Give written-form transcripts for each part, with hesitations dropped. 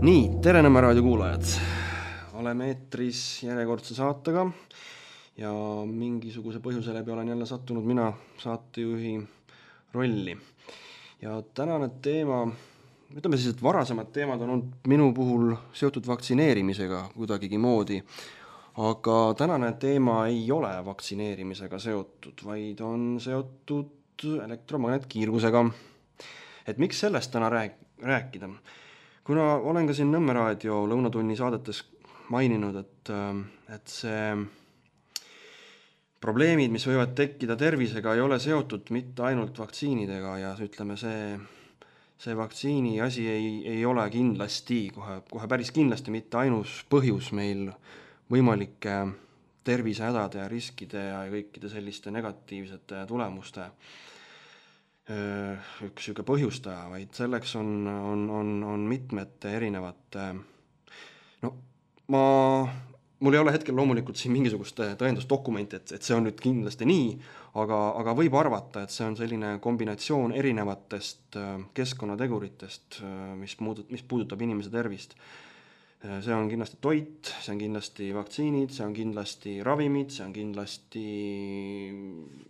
Nii, tere Nõmme raadio kuulajad. Oleme eetris järjekordse saatega ja mingisuguse põhjuse läbi olen jälle sattunud mina saatejuhi rolli. Ja tänane teema, ütleme siis, et varasemad teemad on olnud minu puhul seotud vaktsineerimisega kuidagigi moodi, aga tänane teema ei ole vaktsineerimisega seotud, vaid on seotud elektromagnetkiirgusega. Et miks sellest täna rääkida? Kuna olen ka siin Nõmme raadio lõunatunni saadetes maininud, et see probleemid, mis võivad tekkida tervisega, ei ole seotud mitte ainult vaktsiinidega ja ütleme, see vaktsiini asi ei ole kindlasti, kohe päris kindlasti mitte ainus põhjus meil võimalike tervisehädade ja riskide ja kõikide selliste negatiivsete tulemuste üks siuke põhjustaja, vaid selleks on mitmete erinevate, mul ei ole hetkel loomulikult siin mingisugust tõendusdokumenti, et see on nüüd kindlasti nii, aga võib arvata, et see on selline kombinatsioon erinevatest keskkonnateguritest, mis puudutab inimese tervist. See on kindlasti toit, see on kindlasti vaktsiinid, see on kindlasti ravimid, see on kindlasti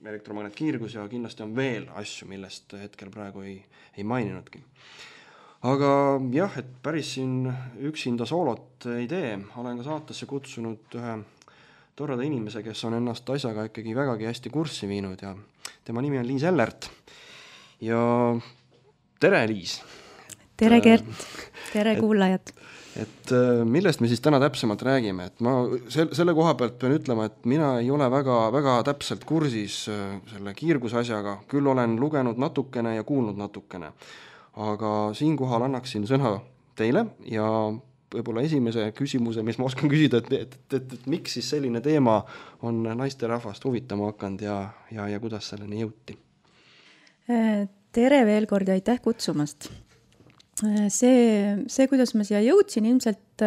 elektromagnetkiirgus ja kindlasti on veel asju, millest hetkel praegu ei maininudki. Aga jah, et päris siin üksinda soolot ei tee, olen ka saatesse kutsunud ühe torrada inimese, kes on ennast asjaga ikkagi vägagi hästi kurssi viinud ja tema nimi on Liis Ellert. Ja tere, Liis! Tere, Gert! Tere, kuulajad! Et millest me siis täna täpsemalt räägime? Et ma selle koha pealt pean ütlema, et mina ei ole väga täpselt kursis selle kiirguse asjaga, küll olen lugenud natukene ja kuulnud natukene. Aga siinkohal annaksin sõna teile ja võib-olla esimese küsimuse, mis ma oskan küsida, et miks siis selline teema on naisterahvast huvitama hakanud ja kuidas selleni jõuti? Tere veel kord ja aitäh kutsumast! See, kuidas ma siia jõudsin, ilmselt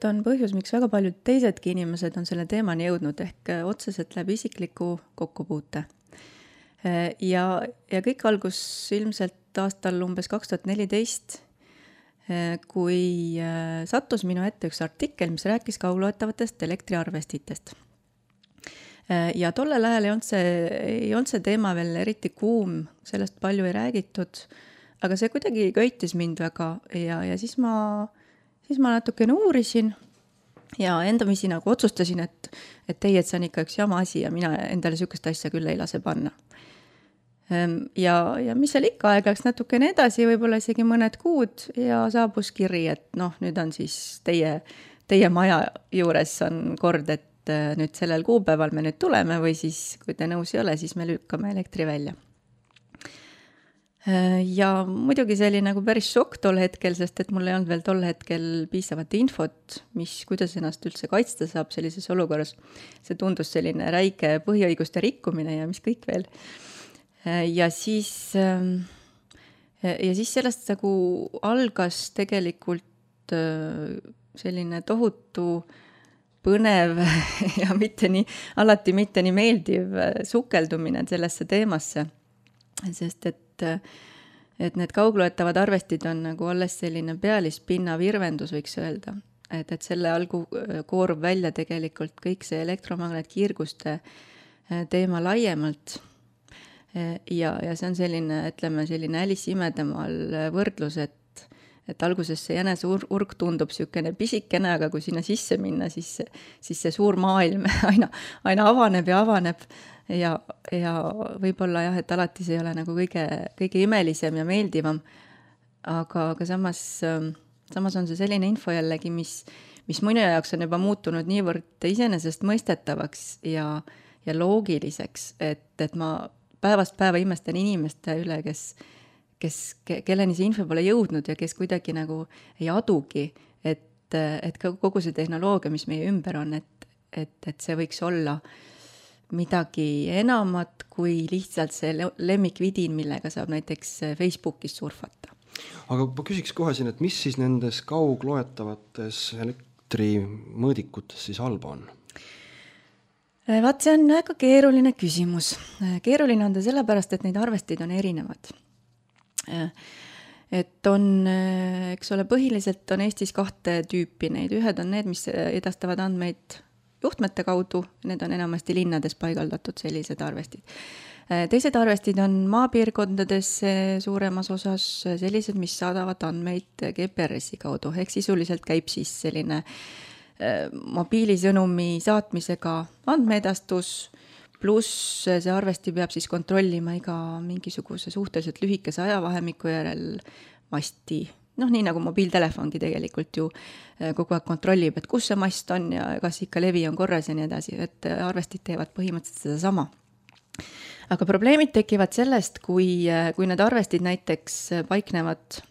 on põhjus, miks väga paljud teisedki inimesed on selle teemani jõudnud, ehk otseselt läbi isikliku kokkupuute. Ja kõik algus ilmselt aastal umbes 2014, kui sattus minu ette üks artikkel, mis rääkis kaugloetavatest elektriarvestitest. Ja tollel ajal ei olnud see teema veel eriti kuum, sellest palju ei räägitud, aga see kuidagi köitis mind väga ja siis ma natukene uurisin ja endamisi nagu otsustasin, et see on ikka üks jama asi ja mina endale sükest asja küll ei lase panna. Ja mis seal ikka aeg läks natukene edasi, võib-olla isegi mõned kuud ja saabus kiri, et nüüd on siis teie maja juures on kord, et nüüd sellel kuupäeval me nüüd tuleme või siis, kui te nõus ei ole, siis me lükkame elektri välja. Ja muidugi see oli nagu päris šokk tol hetkel, sest et mul ei olnud veel tol hetkel piisavat infot, kuidas ennast üldse kaitsta saab sellises olukorras. See tundus selline räige põhiõiguste rikkumine ja mis kõik veel. Ja siis sellest nagu algas tegelikult selline tohutu põnev ja alati mitte nii meeldiv sukeldumine sellesse teemasse. Sest et need kaugloetavad arvestid on nagu alles selline pealispinna virvendus, võiks öelda. Et selle algu koorub välja tegelikult kõik see elektromagnetkiirguste teema laiemalt. Ja see on selline Alice imedemaal võrdlus, et alguses see jäneseurg tundub siukene pisikene, aga kui sinna sisse minna, siis see suur maailm aina avaneb ja avaneb. Ja võib-olla jah, et alati see ei ole nagu kõige imelisem ja meeldivam, aga samas on see selline info jällegi, mis minu jaoks on juba muutunud niivõrd iseenesest mõistetavaks ja loogiliseks, et ma päevast päeva imestan inimeste üle, kelleni see info pole jõudnud ja kes kuidagi nagu ei adugi, et kogu see tehnoloogia, mis meie ümber on, et see võiks olla midagi enamat kui lihtsalt see lemmikvidin, millega saab näiteks Facebookis surfata. Aga ma küsiks kohe siin, et mis siis nendes kaugloetavates elektrimõõdikutes siis halba on? Vaat see on väga keeruline küsimus. Keeruline on ta sellepärast, et neid arvestid on erinevad. et on, eks ole, põhiliselt on Eestis 2 tüüpi neid, ühed on need, mis edastavad andmeid juhtmete kaudu, need on enamasti linnades paigaldatud sellised arvestid. Teised arvestid on maapiirkondades suuremas osas sellised, mis saadavad andmeid GPRS-i kaudu, ehk sisuliselt käib siis selline mobiilisõnumi saatmisega andmeedastus, pluss see arvesti peab siis kontrollima iga mingisuguse suhteliselt lühikese ajavahemiku järel masti. Nii nagu mobiiltelefongi tegelikult ju kogu aeg kontrollib, et kus see mast on ja kas ikka levi on korras ja nii edasi, et arvestid teevad põhimõtteliselt seda sama. Aga probleemid tekivad sellest, kui need arvestid näiteks paiknevad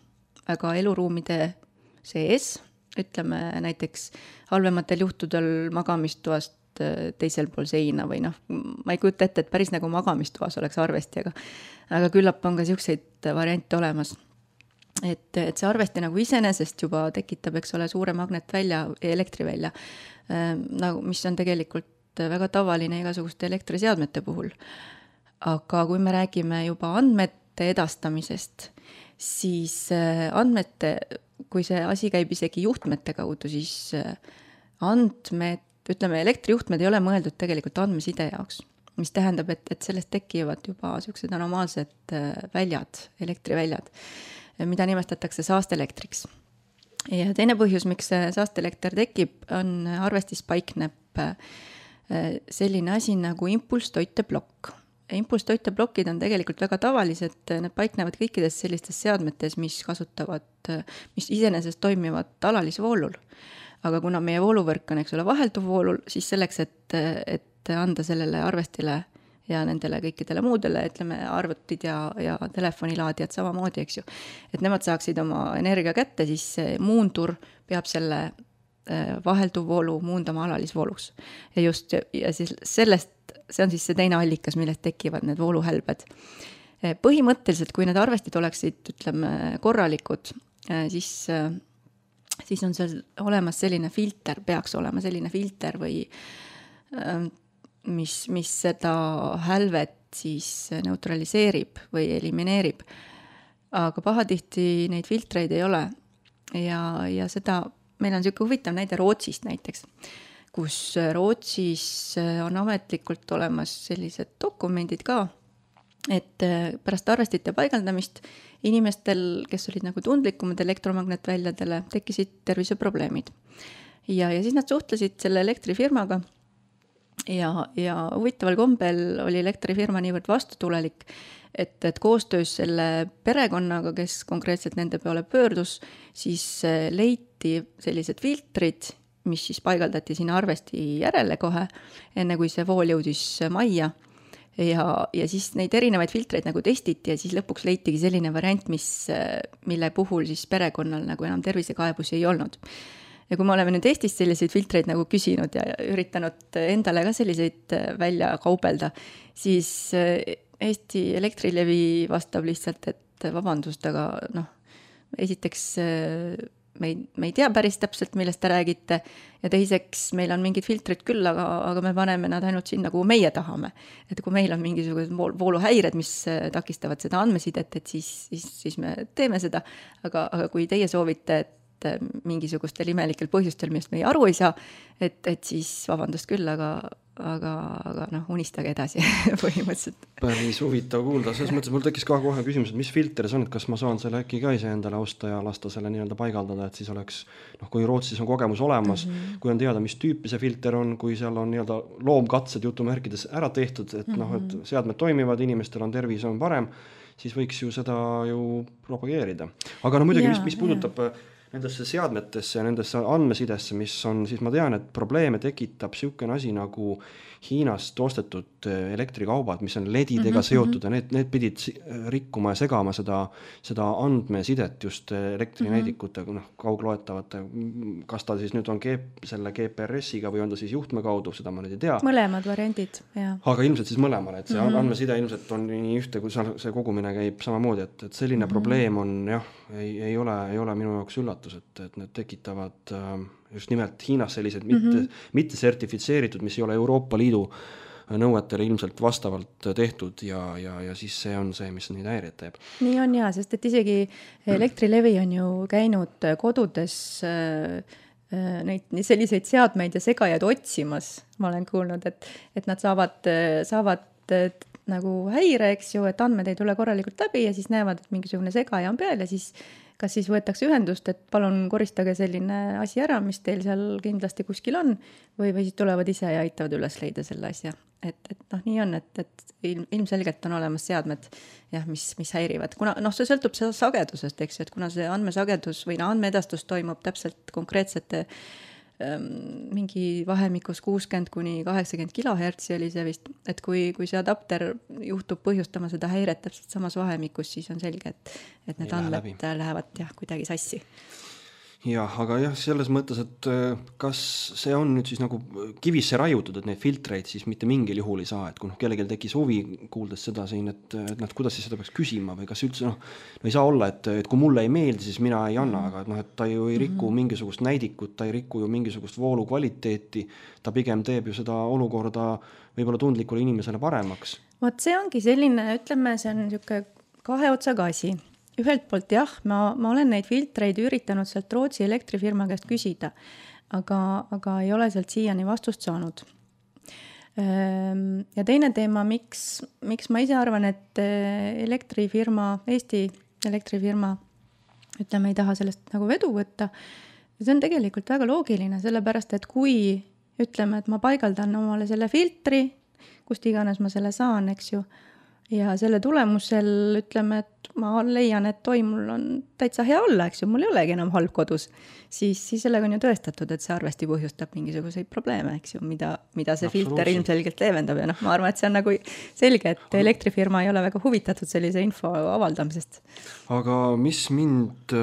väga eluruumide sees, ütleme näiteks halvematel juhtudel magamistoast teisel pool seina või ma ei kujuta ette, et päris nagu magamistoas oleks arvesti, aga küllap on ka selliseid variante olemas. Et see arvesti nagu iseenesest juba tekitab, eks ole, suure magnetvälja, elektrivälja, mis on tegelikult väga tavaline igasuguste elektriseadmete puhul. Aga kui me räägime juba andmete edastamisest, siis kui see asi käib isegi juhtmete kaudu, siis elektrijuhtmed ei ole mõeldud tegelikult andmeside jaoks, mis tähendab, et sellest tekivad juba sellised anomaalsed väljad, elektriväljad, mida nimestatakse saasteelektriks. Ja teine põhjus, miks saasteelekter tekib, on arvestis paikneb selline asi nagu impulsstoiteblokk. Impulsstoiteblokid on tegelikult väga tavalised, need paiknevad kõikides sellistes seadmetes, mis iseenesest toimivad alalisvoolul. Aga kuna meie vooluvõrk on, eks ole, vahelduvvoolul, siis selleks, et anda sellele arvestile ja nendele kõikidele muudele, ütleme, arvutid ja telefonilaadijad samamoodi, eks ju, et nemad saaksid oma energia kätte, siis muundur peab selle vahelduvvoolu muundama alalisvooluks. Ja siis see on siis see teine allikas, millest tekivad need vooluhälbed. Põhimõtteliselt, kui need arvestid oleksid, ütleme, korralikud, siis on seal olemas selline filter, peaks olema selline filter või mis seda hälvet siis neutraliseerib või elimineerib. Aga pahatihti neid filtreid ei ole. Ja seda, meil on selline huvitav näide Rootsist näiteks, kus Rootsis on ametlikult olemas sellised dokumendid ka, et pärast arvestite paigaldamist inimestel, kes olid nagu tundlikumad elektromagnetväljadele, tekkisid terviseprobleemid. Ja siis nad suhtlesid selle elektrifirmaga ja huvitaval kombel oli elektrifirma niivõrd vastutulelik, et koostöös selle perekonnaga, kes konkreetselt nende peale pöördus, siis leiti sellised filtrid, mis siis paigaldati sinna arvesti järele kohe, enne kui see vool jõudis majja. Ja siis neid erinevaid filtreid nagu testiti ja siis lõpuks leitigi selline variant, mille puhul siis perekonnal nagu enam tervisekaebusi ei olnud. Ja kui me oleme nüüd Eestis selliseid filtreid nagu küsinud ja üritanud endale ka selliseid välja kaubelda, siis Eesti Elektrilevi vastab lihtsalt, et vabandust, aga esiteks me ei tea päris täpselt, millest te räägite, ja teiseks meil on mingid filtrid küll, aga me paneme nad ainult sinna, kuhu meie tahame. Et kui meil on mingisugused vooluhäired, mis takistavad seda andmesidet, et siis me teeme seda, aga kui teie soovite, et mingisugustel imelikel põhjustel, millest me aru ei saa, et siis vabandust küll, aga unistage edasi põhimõtteliselt. Päris huvitav kuulda, selles mõttes mul tekkis ka kohe küsimus, et mis filter see on, et kas ma saan selle äkki ka ise endale osta ja lasta selle nii-öelda paigaldada, et siis oleks, kui Rootsis on kogemus olemas, kui on teada, mis tüüpi see filter on, kui seal on nii-öelda loomkatsed jutumärkides ära tehtud, et et seadmed toimivad, inimestel on tervis on parem, siis võiks ju seda ju propageerida. Aga muidugi, mis puudutab nendesse seadmetesse ja nendesse andmesidesse, mis on, siis ma tean, et probleeme tekitab selline asi nagu Hiinast ostetud elektrikaubad, mis on LED-idega seotud ja need pidid rikkuma ja segama seda andmesidet just elektrinäidikute kaugloetavate, kas ta siis nüüd on selle GPRS-iga või on ta siis juhtme kaudu, seda ma nüüd ei tea. Mõlemad variandid, jah. Aga ilmselt siis mõlemale, et see andmeside ilmselt on nii ühte, kui see kogumine käib samamoodi, et selline probleem on ei ole minu jaoks üllatus, et need tekitavad just nimelt Hiinas sellised mitte sertifitseeritud, mis ei ole Euroopa Liidu nõuetele ilmselt vastavalt tehtud ja siis see on see, mis neid häireid teeb. Nii on jaa, sest et isegi Elektrilevi on ju käinud kodudes neid selliseid seadmeid ja segajaid otsimas. Ma olen kuulnud, et nad saavad nagu häire, eks ju, et andmed ei tule korralikult läbi ja siis näevad, et mingisugune segaja on peal ja siis kas siis võetakse ühendust, et palun koristage selline asi ära, mis teil seal kindlasti kuskil on, või siis tulevad ise ja aitavad üles leida selle asja. Et nii on, et ilmselgelt on olemas seadmed, jah, mis häirivad. Kuna see sõltub sagedusest, eks, et kuna see andmesagedus või andmeedastus toimub täpselt konkreetsete mingi vahemikus 60–80 kilohertsi oli see vist, et kui see adapter juhtub põhjustama seda häiret täpselt samas vahemikus, siis on selge, et need andmed lähevad kuidagi sassi. Jah, aga jah, selles mõttes, et kas see on nüüd siis nagu kivisse raiutud, et neid filtreid siis mitte mingil juhul ei saa, et kui kellelgi tekkis huvi kuuldes seda siin, et kuidas siis seda peaks küsima või kas üldse ei saa olla, et kui mulle ei meeldi, siis mina ei anna, aga et ta ju ei riku mingisugust näidikut, ta ei riku ju mingisugust voolu kvaliteeti, ta pigem teeb ju seda olukorda võib-olla tundlikule inimesele paremaks. Vot see ongi selline, ütleme, see on niisugune kahe otsaga asi. Ühelt poolt jah, ma olen neid filtreid üritanud sealt Rootsi elektrifirma käest küsida, aga ei ole sealt siiani vastust saanud. Ja teine teema, miks ma ise arvan, et Eesti elektrifirma, ütleme, ei taha sellest nagu vedu võtta, see on tegelikult väga loogiline, sellepärast, et kui ütleme, et ma paigaldan omale selle filtri, kust iganes ma selle saan, eks ju, ja selle tulemusel ütleme, et ma leian, et mul on täitsa hea olla, eks ju, mul ei olegi enam halb kodus, siis sellega on ju tõestatud, et see arvesti põhjustab mingisuguseid probleeme, eks ju, mida see filter ilmselgelt leevendab ja ma arvan, et see on nagu selge, et elektrifirma ei ole väga huvitatud sellise info avaldamisest. Aga mis mind...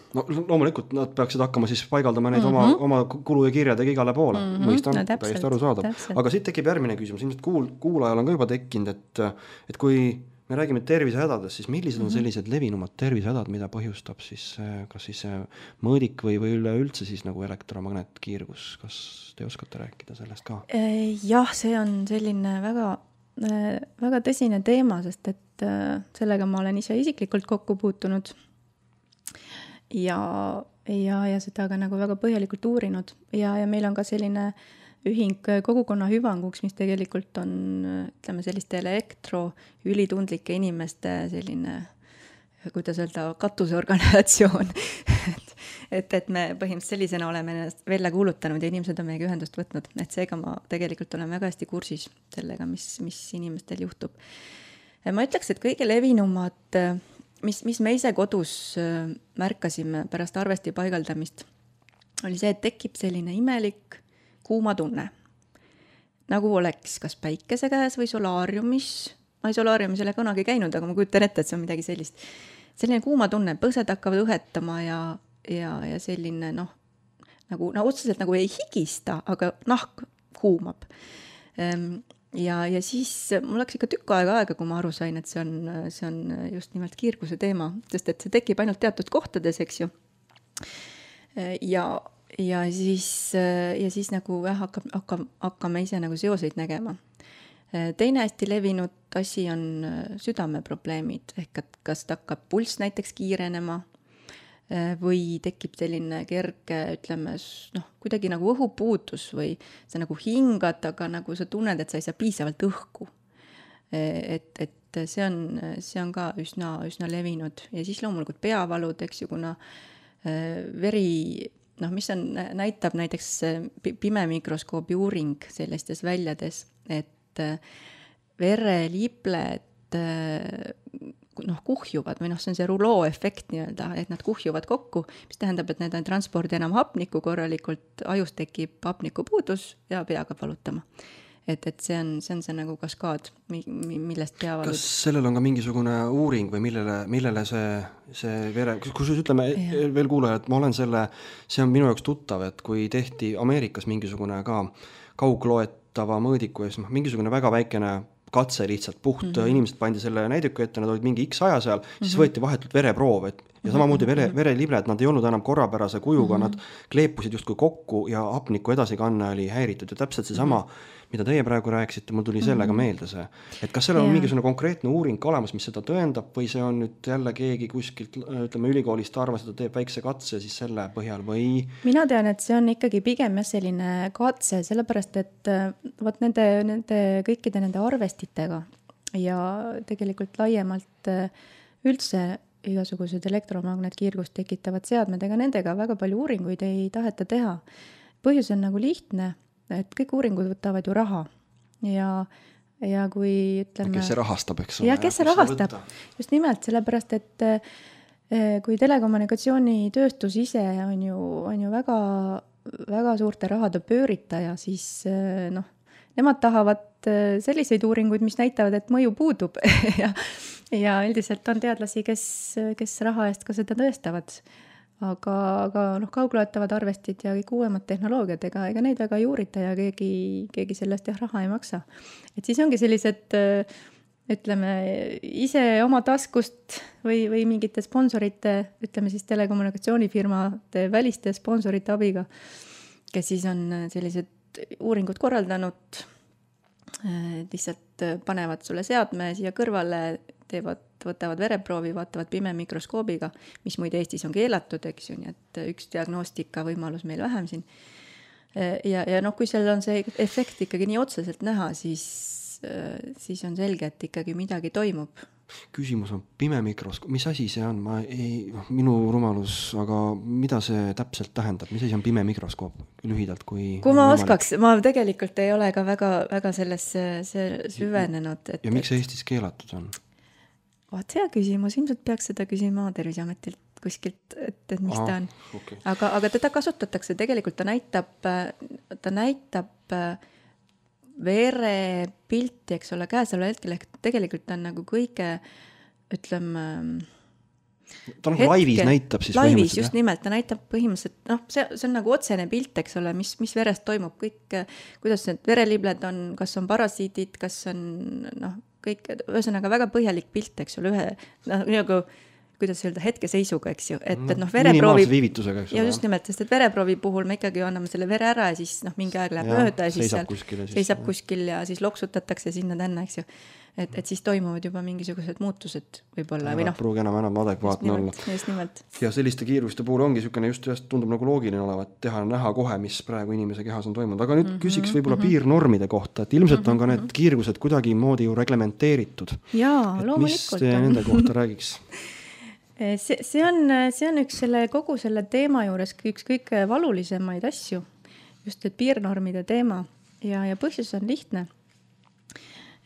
loomulikult nad peaksid hakkama siis paigaldama neid oma kulu ja kirjadega igale poole. Mõistan, täiesti aru saada. Aga siit tekib järgmine küsimus. Ilmselt kuulajal on ka juba tekkinud, et kui me räägime tervisehädadest, siis millised on sellised levinumad tervisehädad, mida põhjustab siis kas siis mõõdik või üleüldse siis nagu elektromagnetkiirgus? Kas te oskate rääkida sellest ka? Jah, see on selline väga, väga tõsine teema, sest et sellega ma olen ise isiklikult kokku puutunud. Ja seda ka nagu väga põhjalikult uurinud ja meil on ka selline ühing kogukonna hüvanguks, mis tegelikult on, ütleme, selliste ülitundlike inimeste selline, kuidas öelda, katusorganisatsioon. et me põhimõtteliselt sellisena oleme ennast välja kuulutanud ja inimesed on meiega ühendust võtnud, et seega ma tegelikult olen väga hästi kursis sellega, mis inimestel juhtub. Ma ütleks, et kõige levinumad mis me ise kodus märkasime pärast arvesti paigaldamist, oli see, et tekib selline imelik kuuma tunne. Nagu oleks kas päikese käes või solaariumis. Ma ei solaariumis ole kunagi käinud, aga ma kujutan ette, et see on midagi sellist. Selline kuuma tunne, põsed hakkavad õhetama ja selline nagu otseselt nagu ei higista, aga nahk kuumab. Ja siis mul läks ikka tükk aega, kui ma aru sain, et see on just nimelt kiirguse teema, sest et see tekib ainult teatud kohtades, eks ju. Ja siis nagu hakkame ise nagu seoseid nägema. Teine hästi levinud asi on südameprobleemid, ehk et kas hakkab pulss näiteks kiirenema või tekib selline kerge, ütleme, kuidagi nagu õhupuudus või sa nagu hingad, aga nagu sa tunned, et sa ei saa piisavalt õhku. Et see on ka üsna levinud. Ja siis loomulikult peavalud, eks ju, kuna veri, mis näitab näiteks pimemikroskoobi uuring sellistes väljades, et verelibled kuhjuvad või see on see ruloo efekt nii-öelda, et nad kuhjuvad kokku, mis tähendab, et need ei transpordi enam hapnikku korralikult, ajus tekib hapniku puudus ja pea hakkab valutama. Et see on see nagu kaskaad, millest peavalud. Kas sellel on ka mingisugune uuring või millele see vere, kus ütleme veel kuulaja, et ma olen see on minu jaoks tuttav, et kui tehti Ameerikas mingisugune ka kaugloetava mõõdiku ja mingisugune väga väikene katse lihtsalt inimesed pandi selle näiduku ette, nad olid mingi X aja seal, siis võeti vahetult vereproov, et ja samamoodi verelibled, nad ei olnud enam korrapärase kujuga, nad kleepusid justkui kokku ja hapniku edasikanne oli häiritud ja täpselt seesama, mida teie praegu rääkisite, mul tuli sellega meelde see. Et kas seal on mingisugune konkreetne uuring ka olemas, mis seda tõendab või see on nüüd jälle keegi kuskilt, ütleme ülikoolist arvas, et ta teeb väikse katse siis selle põhjal või? Mina tean, et see on ikkagi pigem selline katse, sellepärast et võt nende kõikide nende arvestitega ja tegelikult laiemalt üldse igasugused elektromagnetkiirgust tekitavad seadmed, ega nendega väga palju uuringuid ei taheta teha. Põhjus on nagu lihtne, et kõik uuringud võtavad ju raha ja kui ütleme... Kes see rahastab, eks ole? Ja kes see rahastab? Just nimelt, sellepärast, et kui telekommunikatsioonitööstus ise on ju väga, väga suurte rahade pööritaja, siis nemad tahavad selliseid uuringuid, mis näitavad, et mõju puudub ja üldiselt on teadlasi, kes raha eest ka seda tõestavad. Aga kaugloetavad arvestid ja kõik uuemad tehnoloogiad, ega neid väga ei uurita ja keegi sellest raha ei maksa. Et siis ongi sellised, ütleme, ise oma taskust või mingite sponsorite, ütleme siis telekommunikatsioonifirmade väliste sponsorite abiga, kes siis on sellised uuringud korraldanud, lihtsalt panevad sulle seadme siia kõrvale, võtavad vereproovi, vaatavad pime mikroskoobiga, mis muide Eestis on keelatud, eks ju, nii et üks diagnostika võimalus meil vähem siin. Ja kui seal on see efekt ikkagi nii otseselt näha, siis on selge, et ikkagi midagi toimub. Küsimus on pime mikroskoop, mis asi see on? Minu rumalus, aga mida see täpselt tähendab? Mis asi on pime mikroskoop lühidalt? Kui ma oskaks, ma tegelikult ei ole ka väga sellesse süvenenud. Ja miks see Eestis keelatud on? Vaat hea küsimus, ilmselt peaks seda küsima Terviseametilt kuskilt, et mis ta on. Okay. Aga teda kasutatakse, tegelikult ta näitab verepilti, eks ole, käesoleva hetkel, ehk tegelikult ta on nagu kõige, ütleme... Ta nagu laivis näitab siis laivis, just nimelt, ta näitab põhimõtteliselt, see on nagu otsene pilt, eks ole, mis verest toimub, kõik, kuidas need verelibled on, kas on parasiidid, kas on, kõik, ühesõnaga väga põhjalik pilt, eks ole, nagu, kuidas öelda, hetkeseisuga, eks ju, et vereproovi... viivitusega, eks ole. Ja just nimelt, sest et vereproovi puhul me ikkagi anname selle vere ära ja siis mingi aeg läheb mööda ja siis seisab kuskil ja siis loksutatakse sinna tänna, eks ju. Et siis toimuvad juba mingisugused muutused võib-olla. Pruugi enam adekvaatne olla. Just nimelt. Ja selliste kiiruste puhul ongi niisugune just tundub nagu loogiline olevat teha näha kohe, mis praegu inimese kehas on toimunud. Aga nüüd küsiks võib-olla piirnormide kohta, et ilmselt on ka need kiirgused kuidagi moodi ju reglementeeritud. Jaa, loomulikult. Mis te nende kohta räägiks? See on üks kogu selle teema juures üks kõige valulisemaid asju, just et piirnormide teema ja põhjus on lihtne,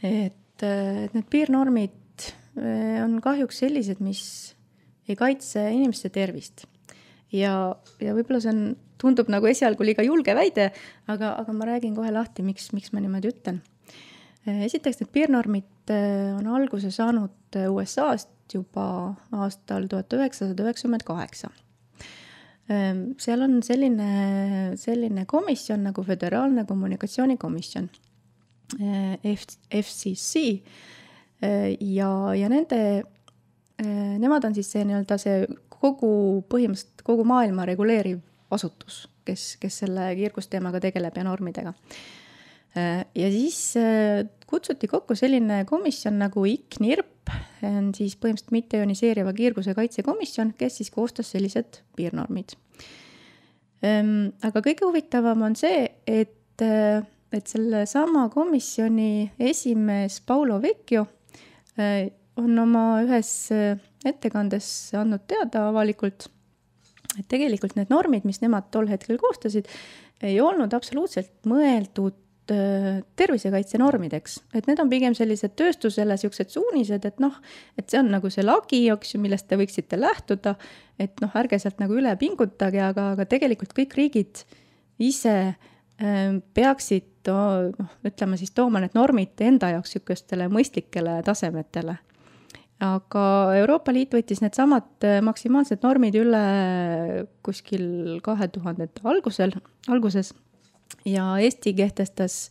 et need piirnormid on kahjuks sellised, mis ei kaitse inimeste tervist ja võib-olla see tundub nagu esialgu liiga julge väide, aga ma räägin kohe lahti, miks ma niimoodi ütlen. Esiteks, need piirnormid on alguse saanud USA-st juba aastal 1998. Seal on selline komisjon nagu Föderaalne kommunikatsioonikomisjon, FCC, ja nemad on siis see põhimõtteliselt kogu maailma reguleeriv asutus, kes selle kiirgusteemaga tegeleb ja normidega. Ja siis kutsuti kokku selline komisjon nagu ICNIRP, on siis põhimõtteliselt mitteioniseeriva kiirguse kaitsekomisjon, kes siis koostas sellised piirnormid. Aga kõige huvitavam on see, et selle sama komisjoni esimees Paolo Vecchio on oma ühes ettekandes andnud teada avalikult, et tegelikult need normid, mis nemad tol hetkel koostasid, ei olnud absoluutselt mõeldud tervisekaitse normideks, et need on pigem sellised tööstusele siuksed suunised, et see on nagu see lagi, millest te võiksite lähtuda, et ärge sealt nagu üle pingutage, aga tegelikult kõik riigid ise peaksid, ütleme siis tooma need normid enda jaoks sükestele mõistlikele tasemetele. Aga Euroopa Liit võttis need samad maksimaalsed normid üle kuskil 2000 alguses ja Eesti kehtestas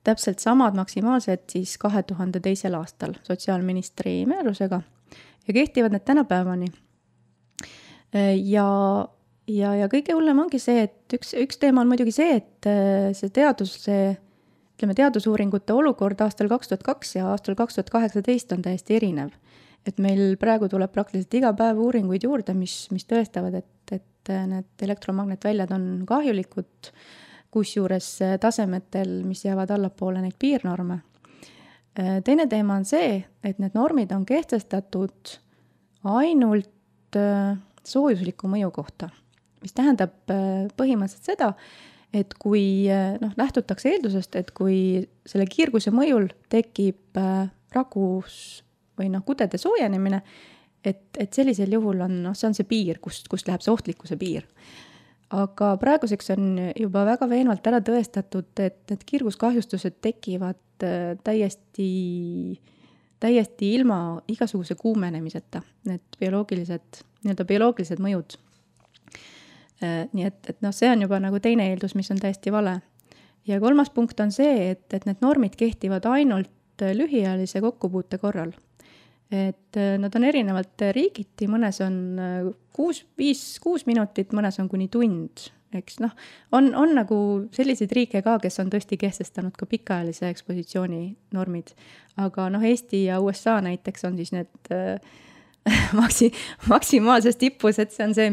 täpselt samad maksimaalsed siis 2002. aastal sotsiaalministri määrusega ja kehtivad need tänapäevani. ja kõige hullem ongi see, et üks teema on muidugi see, et see teadusuuringute olukord aastal 2002 ja aastal 2018 on täiesti erinev. Et meil praegu tuleb praktiliselt iga päev uuringuid juurde, mis tõestavad, et need elektromagnetväljad on kahjulikud, kusjuures tasemetel, mis jäävad allapoole neid piirnorme. Teine teema on see, et need normid on kehtestatud ainult soojusliku mõju kohta, mis tähendab põhimõtteliselt seda, et kui lähtutakse eeldusest, et kui selle kiirguse mõjul tekib ragus või kudede soojenemine, et sellisel juhul on, see on see piir, kust läheb see ohtlikkuse piir. Aga praeguseks on juba väga veenvalt ära tõestatud, et need kiirguskahjustused tekivad täiesti ilma igasuguse kuumenemiseta, need bioloogilised mõjud. Nii et see on juba nagu teine eeldus, mis on täiesti vale. Ja kolmas punkt on see, et need normid kehtivad ainult lühiajalise kokkupuute korral. Et nad on erinevalt riigiti, mõnes on 5-6 minutit, mõnes on kuni tund. Eks, on nagu selliseid riike ka, kes on tõesti kehtestanud ka pikaajalise ekspositsiooni normid. Aga Eesti ja USA näiteks on siis need maksimaalses tippus, et see on see,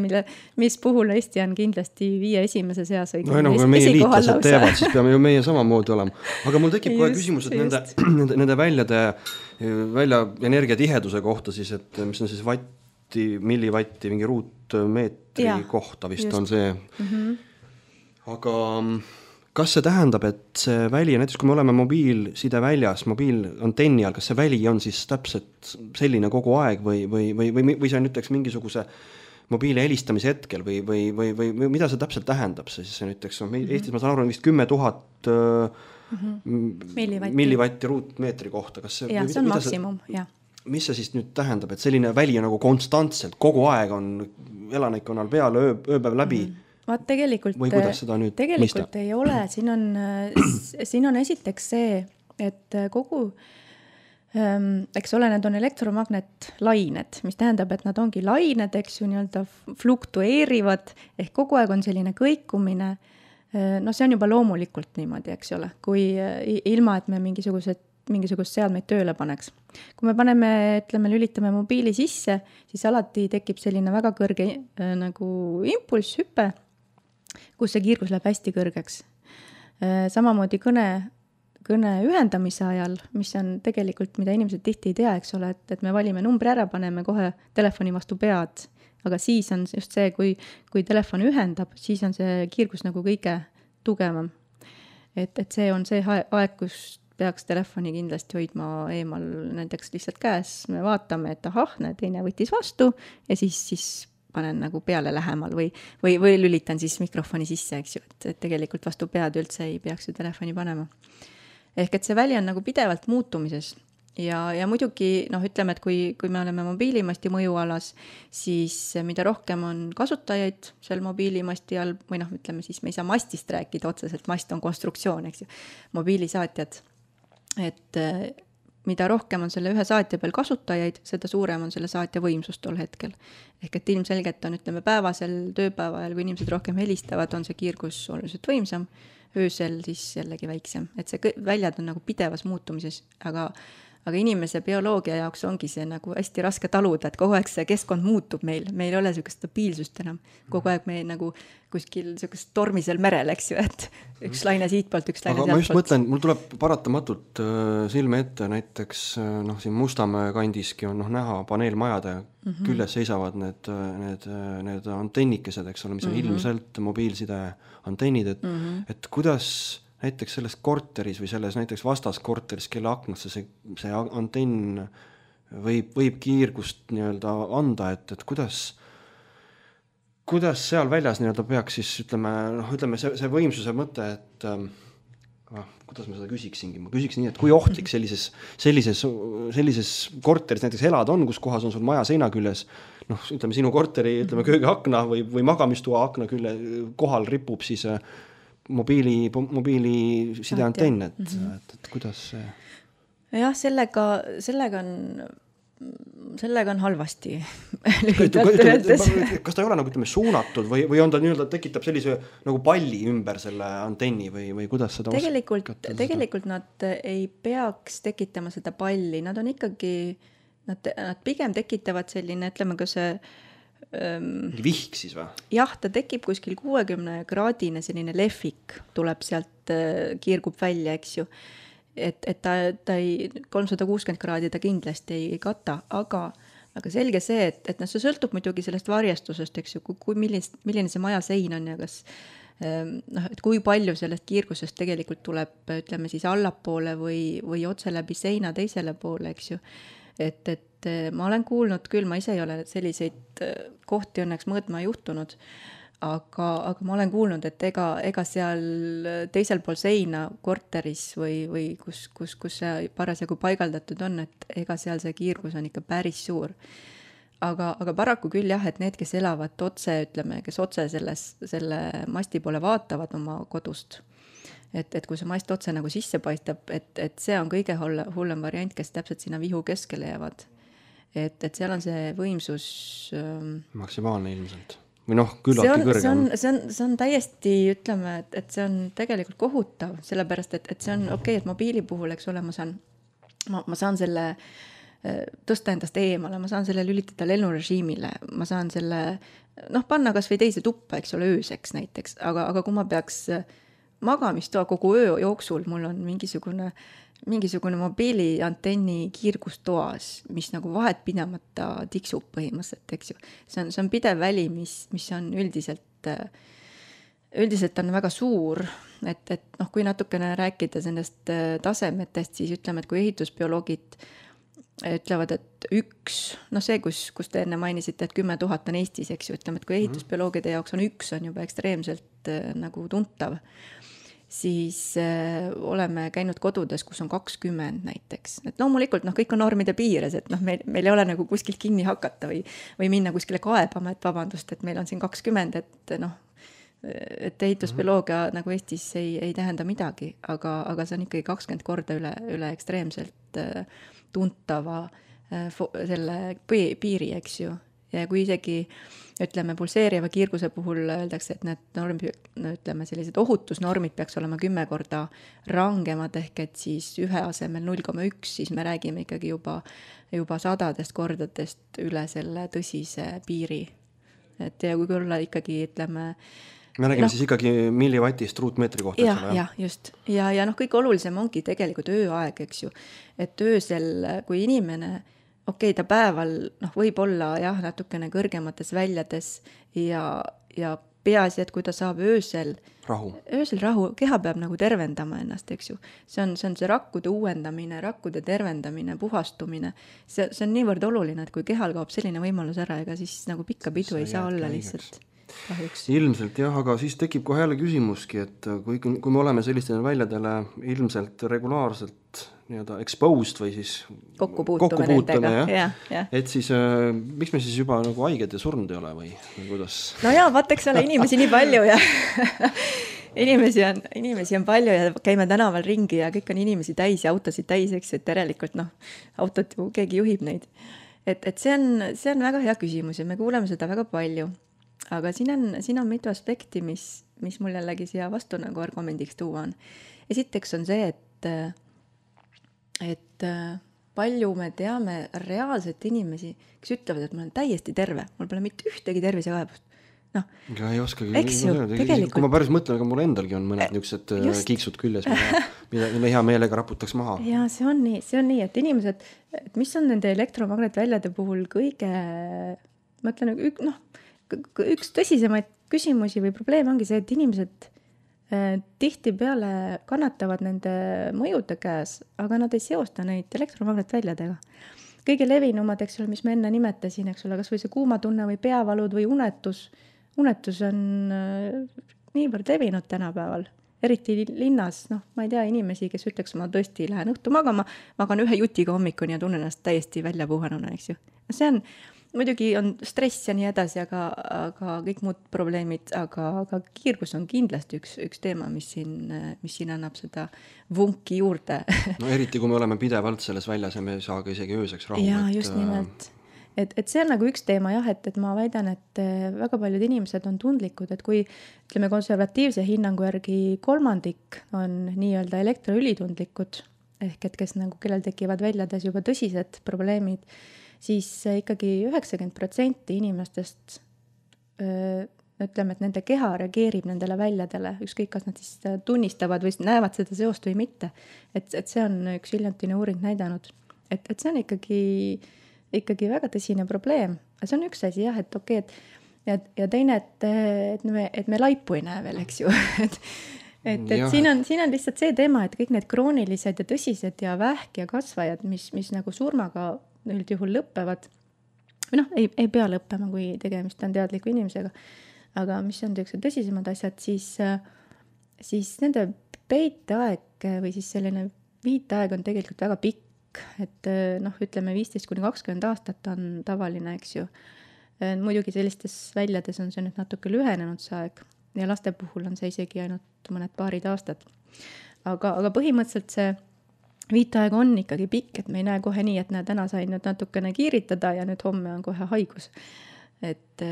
mis puhul Eesti on kindlasti 5 esimese seas. Kui meie liitlased teevad, siis peame ju meie samamoodi olema. Aga mul tekib kohe küsimus, et nende välja energiatiheduse kohta siis, et mis on siis millivatti, mingi ruutmeetri kohta vist on see. Aga kas see tähendab, et see väli, näiteks kui me oleme mobiilside väljas, mobiilantenni all, kas see väli on siis täpselt selline kogu aeg või see on ütleks mingisuguse mobiili helistamise hetkel või mida see täpselt tähendab? See siis ütleks, Eestis ma saan aru, vist 10 000 millivatti ruutmeetri kohta. See on maksimum, jah. Mis see siis nüüd tähendab, et selline väli on nagu konstantselt, kogu aeg on elanikkonnal peal ööpäev läbi? Vaat tegelikult ei ole. Siin on esiteks see, et kogu, eks ole, need on elektromagnetlained, mis tähendab, et nad ongi lained, eks ju, nii-öelda fluktueerivad, ehk kogu aeg on selline kõikumine. See on juba loomulikult niimoodi, eks ole, kui ilma, et me mingisugust seadmeid tööle paneks. Kui me lülitame mobiili sisse, siis alati tekib selline väga kõrge nagu impulss, hüpe, kus see kiirgus läheb hästi kõrgeks. Samamoodi kõne ühendamise ajal, mis on tegelikult, mida inimesed tihti ei tea, eks ole, et me valime numbri ära, paneme kohe telefoni vastu pead, aga siis on just see, kui telefon ühendab, siis on see kiirgus nagu kõige tugevam. Et see on see aeg, kus peaks telefoni kindlasti hoidma eemal näiteks lihtsalt käes. Me vaatame, et teine võttis vastu ja siis panen nagu peale lähemal või lülitan siis mikrofoni sisse, eks ju, et tegelikult vastu pead üldse ei peaks ju telefoni panema. Ehk et see väli on nagu pidevalt muutumises ja muidugi, ütleme, et kui me oleme mobiilimasti mõjualas, siis mida rohkem on kasutajaid seal mobiilimasti all, või ütleme siis, me ei saa mastist rääkida otseselt, mast on konstruktsioon, eks ju, mobiilisaatjad. Et mida rohkem on selle ühe saatja peal kasutajaid, seda suurem on selle saatja võimsus tol hetkel. Ehk et ilmselgelt on, päevasel tööpäeval, kui inimesed rohkem helistavad, on see kiirgus oluliselt võimsam, öösel siis jällegi väiksem. Et see väljad on nagu pidevas muutumises, aga inimese bioloogia jaoks ongi see nagu hästi raske taluda, et kogu aeg see keskkond muutub meil ei ole sellist stabiilsust enam. Kogu aeg me nagu kuskil sellist tormisel merel, eks ju, et üks laine siitpoolt, üks laine sealtpoolt. Aga ma just mõtlen, mul tuleb paratamatult silme ette näiteks, siin Mustamäe kandiski on näha paneelmajade küljes seisavad need antennikesed, eks ole, mis on ilmselt mobiilside antennid, et kuidas näiteks selles korteris või selles näiteks vastaskorteris, kelle aknasse see antenn võib kiirgust nii-öelda anda, et kuidas seal väljas nii-öelda peaks siis, ütleme see võimsuse mõte, et kuidas ma seda küsiksingi? Ma küsiksin nii, et kui ohtlik sellises korteris näiteks elada on, kus kohas on sul maja seina küljes, ütleme sinu korteri, köögiakna või magamistoa akna külle kohal ripub siis mobiili sideantenn, et kuidas see? Jah, sellega on sellega on halvasti lühidalt öeldes. Kas ta ei ole nagu ütleme suunatud või on ta nii-öelda tekitab sellise nagu palli ümber selle antenni või kuidas seda tegelikult nad ei peaks tekitama seda palli, nad on ikkagi, nad pigem tekitavad selline, ütleme ka see vihk siis või? Jah, ta tekib kuskil 60-kraadine selline lehvik, tuleb sealt, kiirgub välja, eks ju. Et ta ei, 360 kraadi ta kindlasti ei kata, aga selge see, et see sõltub muidugi sellest varjestusest, eks ju, milline see maja sein on ja kas et kui palju sellest kiirgusest tegelikult tuleb, ütleme siis allapoole või otse läbi seina teisele poole, eks ju. Et ma olen kuulnud küll, ma ise ei ole selliseid kohti õnneks mõõtma juhtunud, aga ma olen kuulnud, et ega seal teisel pool seina korteris või kus see parasjagu paigaldatud on, et ega seal see kiirgus on ikka päris suur. Aga paraku küll jah, et need, kes elavad otse, ütleme, kes otse selle masti poole vaatavad oma kodust, et kui see mast otse nagu sisse paistab, et see on kõige hullem variant, kes täpselt sinna vihu keskele jäävad. Et seal on see võimsus maksimaalne ilmselt. Või küllaltki kõrgem. See on täiesti, ütleme, et see on tegelikult kohutav, sellepärast, et see on okei, et mobiili puhul, eks ole, ma saan selle tõsta endast eemale, ma saan selle lülitada lennurežiimile, ma saan selle, panna kas või teise tuppa, eks ole, ööseks näiteks, aga kui ma peaks magamistoa kogu öö jooksul, mul on mingisugune mobiili antenni kiirgustoas, mis nagu vahet pidamata tiksub põhimõtteliselt, eks ju. See on pidev väli, mis on üldiselt on väga suur, et kui natukene rääkida sellest tasemetest, siis ütleme, et kui ehitusbioloogid ütlevad, et see, kus te enne mainisite, et 10 000 on Eestis, eks ju, ütleme, et kui ehitusbioloogide jaoks on 1 on juba ekstreemselt nagu tuntav, siis oleme käinud kodudes, kus on 20 näiteks. Et loomulikult kõik on normide piires, et meil ei ole nagu kuskilt kinni hakata või minna kuskile kaebama, et vabandust, et meil on siin 20, et ehitusbioloogia nagu Eestis ei tähenda midagi, aga see on ikkagi 20 korda üle ekstreemselt tuntava selle piiri, eks ju. Ja kui isegi, ütleme, pulseeriva kiirguse puhul öeldakse, et need ütleme, sellised ohutusnormid peaks olema 10 korda rangemad, ehk et siis ühe asemel 0,1, siis me räägime ikkagi juba sadadest kordadest üle selle tõsise piiri. Et ja kui olla ikkagi, ütleme, me räägime siis ikkagi millivatist ruutmeetri kohta. Ja, just. Ja kõige olulisem ongi tegelikult ööaeg, eks ju. Et öösel, kui inimene okei, ta päeval võib olla jah, natukene kõrgemates väljades ja peaasi, et kui ta saab öösel rahu, keha peab nagu tervendama ennast, eks ju. See on see rakkude uuendamine, rakkude tervendamine, puhastumine. See on niivõrd oluline, et kui kehal kaob selline võimalus ära, ega siis nagu pikka pidu ei saa olla lihtsalt. Kahjuks. Ilmselt jah, aga siis tekib kohe jälle küsimuski, et kui me oleme sellistele väljadele ilmselt regulaarselt exposed või siis kokkupuutume ja. Et siis miks me siis juba nagu haiged ja surnud ei ole või kuidas? No jaa, vaataks ole inimesi nii palju ja inimesi on palju ja käime tänaval ringi ja kõik on inimesi täis ja autosid täis, eks, et järelikult autot ju keegi juhib neid. Et see on väga hea küsimus ja me kuuleme seda väga palju. Aga siin on mitu aspekti, mis mul jällegi siia vastu nagu argumendiks tuua on. Esiteks on see, et palju me teame reaalselt inimesi, kes ütlevad, et ma olen täiesti terve, mul pole mitte ühtegi tervisekaebust. Ei oskagi, kui ma päris mõtlen, aga mul endalgi on mõned niisugused kiiksud küljes, mida hea meelega raputaks maha. Ja see on nii, et inimesed, et mis on nende elektromagnetväljade puhul kõige, ma ütlen, üks tõsisemaid küsimusi või probleeme ongi see, et inimesed tihti peale kannatavad nende mõjude käes, aga nad ei seosta neid elektromagnetväljadega. Kõige levinumad, eks ole, mis ma enne nimetasin, eks ole, kas või see kuumatunne või peavalud või unetus. Unetus on niivõrd levinud tänapäeval, eriti linnas, ma ei tea inimesi, kes ütleks, ma tõesti lähen õhtu magama, magan ühe jutiga hommikuni ja tunnen ennast täiesti välja puhanuna, eks ju. muidugi on stress ja nii edasi, aga kõik muud probleemid, aga kiirgus on kindlasti üks teema, mis siin annab seda vunki juurde. No eriti, kui me oleme pidevalt selles väljas ja me ei saa ka isegi ööseks rahu. Jaa, just nimelt. Et see on nagu üks teema jah, et ma väidan, et väga paljud inimesed on tundlikud, et kui ütleme konservatiivse hinnangu järgi 1/3 on nii-öelda elektroülitundlikud, ehk et kes nagu, kellel tekivad väljades juba tõsised probleemid, siis ikkagi 90% inimestest ütleme, et nende keha reageerib nendele väljadele, ükskõik kas nad siis tunnistavad või näevad seda seost või mitte. Et see on üks hiljutine uuring näidanud, et see on ikkagi väga tõsine probleem. See on üks asi jah, et okei, ja teine, et me laipu ei näe veel, eks ju. et siin on lihtsalt see teema, et kõik need kroonilised ja tõsised ja vähk ja kasvajad, mis nagu surmaga üldjuhul lõppevad, või ei pea lõppema, kui tegemist on teadliku inimesega, aga mis on tõsisemad asjad, siis nende peiteaeg või siis selline viitaeg on tegelikult väga pikk. Et ütleme 15-20 aastat on tavaline, eks ju. Muidugi sellistes väljades on see nüüd natuke lühenenud see aeg ja laste puhul on see isegi ainult mõned paarid aastad. Aga põhimõtteliselt see viitaeg on ikkagi pikk, et me ei näe kohe nii, et täna sain nüüd natukene kiiritada ja nüüd homme on kohe haigus. Et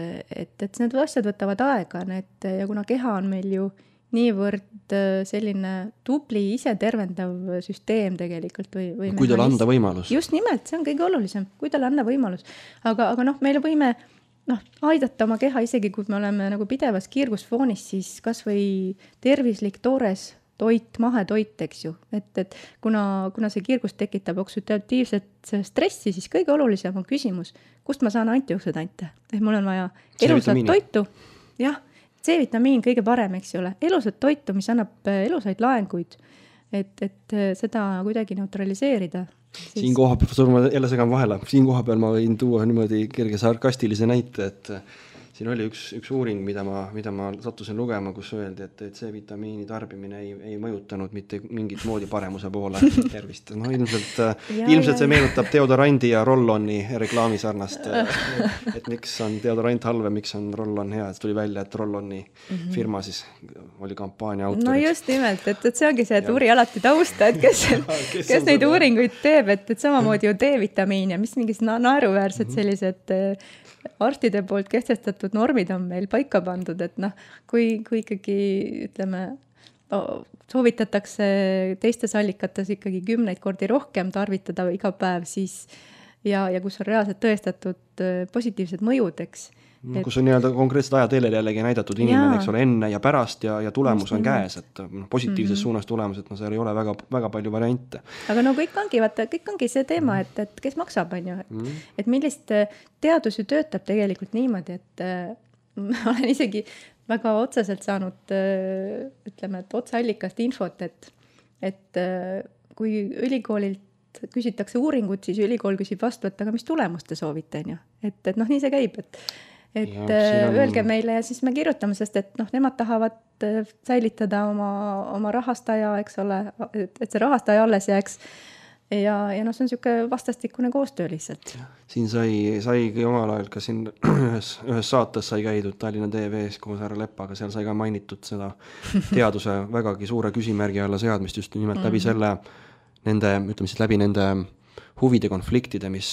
need asjad võtavad aega, ja kuna keha on meil ju niivõrd selline tubli ise tervendav süsteem tegelikult või kui talle anda võimalus. Just nimelt, see on kõige olulisem, kui talle anda võimalus. Aga meile võime aidata oma keha, isegi kui me oleme nagu pidevas kiirgusfoonis, siis kas või tervislik toores toit, mahetoit, eks ju. Et kuna see kiirgus tekitab oksüdatiivset stressi, siis kõige olulisem on küsimus, kust ma saan antioksüdante. Mul on vaja elusat toitu. Jah. C-vitamiin kõige parem, eks ju ole. Elusat toitu, mis annab elusaid laenguid, et seda kuidagi neutraliseerida. Siin koha peal, ma jälle segan vahele, siin koha peal ma võin tuua niimoodi kerge sarkastilise näite, et siin oli üks uuring, mida ma sattusin lugema, kus öeldi, et C-vitamiini tarbimine ei mõjutanud mitte mingit moodi paremuse poole tervist. Ilmselt see meenutab deodorandi ja Rolloni reklaami sarnast, et miks on deodorant halve, miks on Rollon hea, et tuli välja, et Rolloni firma siis oli kampaania autorid. No just nimelt, et see ongi see, et uuri alati tausta, et kes neid uuringuid teeb, et samamoodi ju D-vitamiin ja mis mingis naeruväärsed sellised arstide poolt kehtestatud normid on meil paika pandud, et kui ikkagi ütleme, soovitatakse teistes allikates ikkagi 10 kordi rohkem tarvitada iga päev, siis ja kus on reaalselt tõestatud positiivsed mõjud, eks. Kus on nii-öelda konkreetsed ajateljel jällegi näidatud inimene, eks ole, enne ja pärast ja tulemus on käes, et positiivses suunas tulemus, et seal ei ole väga, väga palju variante. Aga kõik ongi see teema, et kes maksab, on ju, et millist teadus ju töötab tegelikult niimoodi, et ma olen isegi väga otseselt saanud, ütleme, et otseallikast infot, et kui ülikoolilt küsitakse uuringut, siis ülikool küsib vastu, et aga mis tulemust te soovite, on ju, et nii see käib, öelge meile ja siis me kirjutame, sest et nemad tahavad säilitada oma rahastaja, eks ole, et see rahastaja alles jääks ja see on niisugune vastastikune koostöö lihtsalt. Siin saigi omal ajal ka siin ühes saates sai käidud Tallinna TV-s koos härra Leppaga, seal sai ka mainitud seda teaduse vägagi suure küsimärgi alla seadmist just nimelt läbi selle nende huvide konfliktide, mis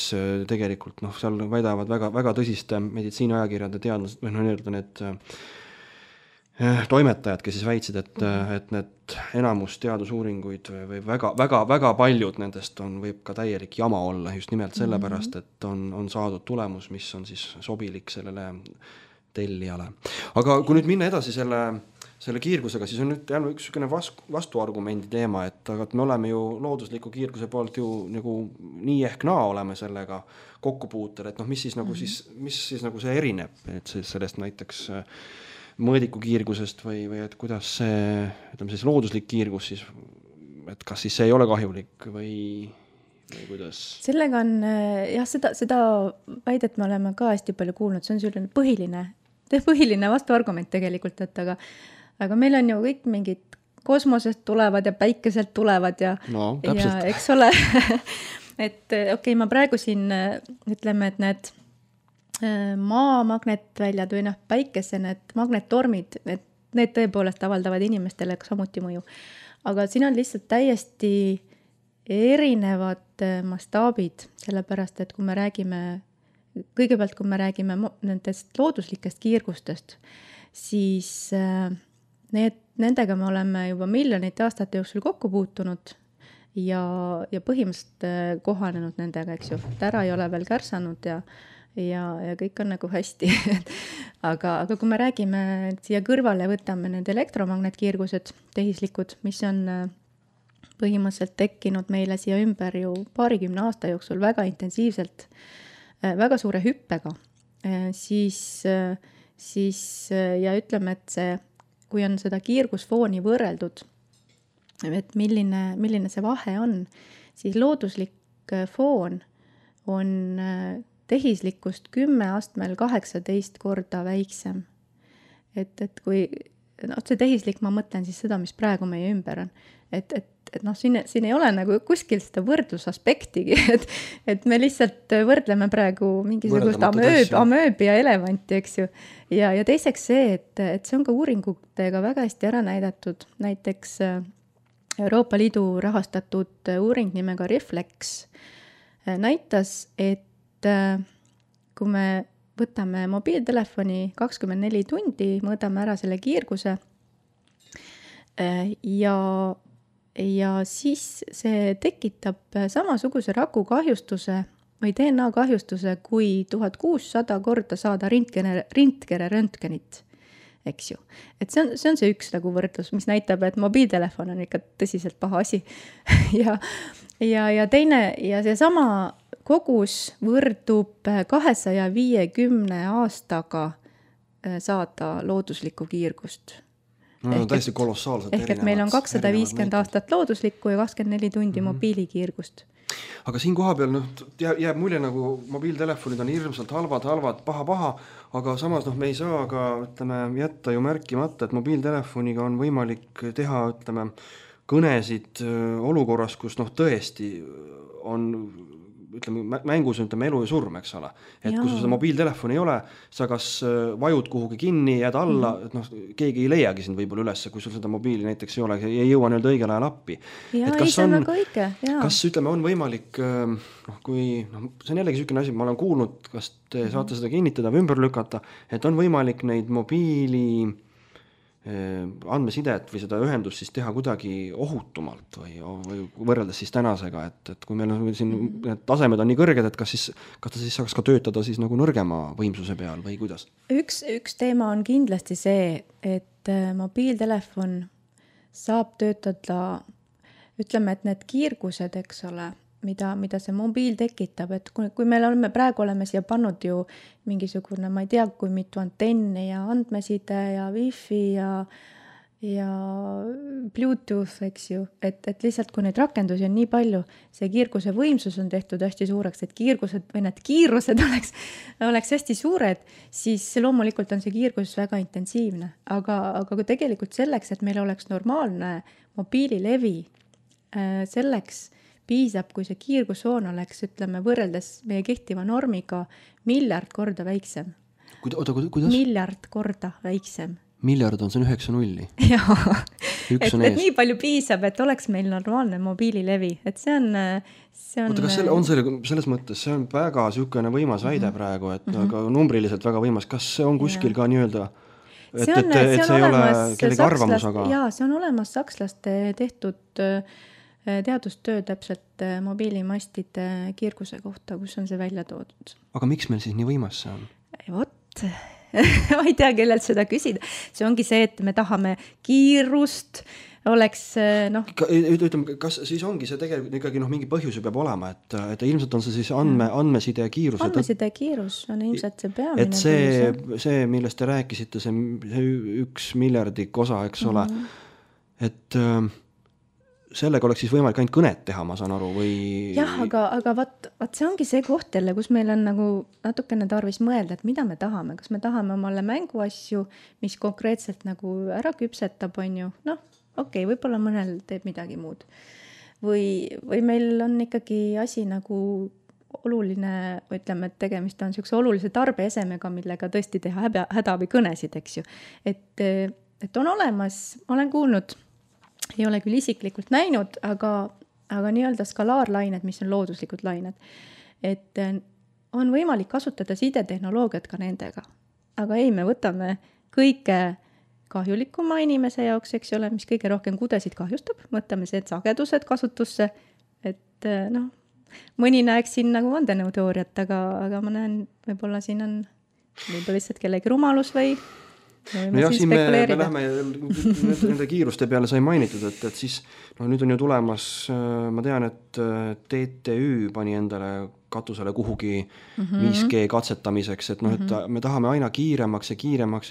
tegelikult seal väidavad väga tõsiste meditsiiniajakirjade teadlased või need toimetajad, kes siis väitsid, et need enamus teadusuuringuid või väga paljud nendest võib ka täielik jama olla just nimelt sellepärast, et on saadud tulemus, mis on siis sobilik sellele tellijale. Aga kui nüüd minna edasi selle kiirgusega, siis on nüüd jälle üks vastuargumendi teema, et me oleme ju loodusliku kiirguse poolt ju nagu nii ehk naa oleme sellega kokkupuutel, et mis siis mis nagu see erineb, et sellest näiteks mõõdiku kiirgusest või et kuidas see, ütleme siis looduslik kiirgus siis, et kas siis see ei ole kahjulik või kuidas? Sellega on, jah, seda väidet me oleme ka hästi palju kuulnud, see on selline põhiline vastuargument tegelikult, et aga meil on ju kõik mingid kosmosest tulevad ja päikeselt tulevad ja eks ole, et okei, ma praegu siin ütleme, et need maa magnetväljad või päikese need magnettormid, need tõepoolest avaldavad inimestele samuti mõju. Aga siin on lihtsalt täiesti erinevad mastaabid, sellepärast et kui me räägime nendest looduslikest kiirgustest, siis nendega me oleme juba miljonite aastate jooksul kokku puutunud ja põhimõtteliselt kohanenud nendega, eks ju. Ära ei ole veel kärsanud ja kõik on nagu hästi. aga kui me räägime siia kõrvale, võtame need elektromagnetkiirgused, tehislikud, mis on põhimõtteliselt tekkinud meile siia ümber ju 20 aasta jooksul väga intensiivselt, väga suure hüppega, siis ja ütleme, et kui on seda kiirgusfooni võrreldud, et milline see vahe on, siis looduslik foon on tehislikkust 10 astmel 18 korda väiksem. Et kui, see tehislik, ma mõtlen siis seda, mis praegu meie ümber on. Et siin ei ole nagu kuskil seda võrdlusaspektigi, et me lihtsalt võrdleme praegu mingisugust amööbi ja elevanti, eks ju. Ja teiseks see, et see on ka uuringutega väga hästi ära näidatud. Näiteks Euroopa Liidu rahastatud uuring nimega Reflex näitas, et kui me võtame mobiiltelefoni 24 tundi, mõõdame ära selle kiirguse ja siis see tekitab samasuguse rakukahjustuse või DNA kahjustuse, kui 1600 korda saada röntgenit, eks ju. Et see on see üks nagu võrdlus, mis näitab, et mobiiltelefon on ikka tõsiselt paha asi. ja teine, ja see sama kogus võrdub 250 aastaga saada looduslikku kiirgust. No, täiesti kolossaalselt ehk et meil on 250 aastat looduslikku ja 24 tundi mobiilikiirgust. Aga siin koha peal jääb mulje nagu mobiiltelefonid on hirmsalt halvad, paha, aga samas me ei saa ka jätta ju märkimata, et mobiiltelefoniga on võimalik teha kõnesid olukorras, kus tõesti on mängus elu ja surm, eks ole. Et kui sul seda mobiiltelefon ei ole, sa kas vajud kuhugi kinni, jääd alla, keegi ei leiagi sind võib-olla üles, kui sul seda mobiili näiteks ei ole, ei jõua õigel ajal appi. See on väga õige. Kas on võimalik, see on jällegi sükene asi, ma olen kuulnud, kas te saate seda kinnitada või ümber lükata, et on võimalik neid mobiili andmesidet või seda ühendust siis teha kuidagi ohutumalt või võrreldes siis tänasega, et kui meil on siin need tasemed on nii kõrged, et kas ta siis saaks ka töötada siis nagu nõrgema võimsuse peal või kuidas? Üks teema on kindlasti see, et mobiiltelefon saab töötada, ütleme, et need kiirgused, eks ole, mida see mobiil tekitab, et kui me praegu oleme siia pannud ju mingisugune, ma ei tea, kui mitu antenni ja andmeside ja wifi ja Bluetooth, eks ju, et lihtsalt kui neid rakendusi on nii palju, see kiirguse võimsus on tehtud hästi suureks, et kiirgused või need kiirused oleks hästi suured, siis loomulikult on see kiirgus väga intensiivne, aga kui tegelikult selleks, et meil oleks normaalne mobiililevi, selleks piisab, kui see kiirgusfoon oleks, ütleme, võrreldes meie kehtiva normiga 1 miljard korda väiksem. Kuidas? 1 miljard korda väiksem. Miljard on see 9 nulli. Jaa, et nii palju piisab, et oleks meil normaalne mobiililevi. Et see on... Oota, kas selles mõttes, see on väga sükene võimas väide praegu, et aga numbriliselt väga võimas. Kas see on kuskil ka nii-öelda, et see ei ole kellegi arvamus, aga... Jaa, see on olemas sakslaste tehtud teadustöö täpselt mobiilimastide kiirguse kohta, kus on see välja toodud. Aga miks meil siis nii võimas see on? Vot, ma ei tea, kellelt seda küsida. See ongi see, et me tahame kiirust, oleks Ütleme, kas siis ongi see tegelikult ikkagi mingi põhjus peab olema, et ilmselt on see siis andmeside kiirus. Andmeside kiirus on ilmselt see peamine. Et see, millest te rääkisite, see 1 miljardik osa, eks ole, et... sellega oleks siis võimalik ainult kõnet teha, ma saan aru, või... Jah, aga vaat see ongi see koht jälle, kus meil on nagu natukene tarvis mõelda, et mida me tahame. Kas me tahame omale mänguasju, mis konkreetselt nagu ära küpsetab, on ju? Okei, võib-olla mõnel teeb midagi muud. Või meil on ikkagi asi nagu oluline, ütleme, et tegemist on niisuguse olulise tarbeesemega, millega tõesti teha hädaabikõnesid, eks ju. Et on olemas, olen kuulnud, ei ole küll isiklikult näinud, aga nii-öelda skalaarlained, mis on looduslikud lained, et on võimalik kasutada sidetehnoloogiat ka nendega. Aga ei, me võtame kõige kahjulikuma inimese jaoks, eks ole, mis kõige rohkem kudesid kahjustab, võtame see sagedused kasutusse, et noh, mõni näeks siin nagu vandenõuteooriat, aga ma näen, võib-olla siin on võib-olla lihtsalt kellegi rumalus või no jah, siin me lähme nende kiiruste peale sai mainitud, et siis nüüd on ju tulemas, ma tean, et TTÜ pani endale katusele kuhugi 5G katsetamiseks, et et me tahame aina kiiremaks ja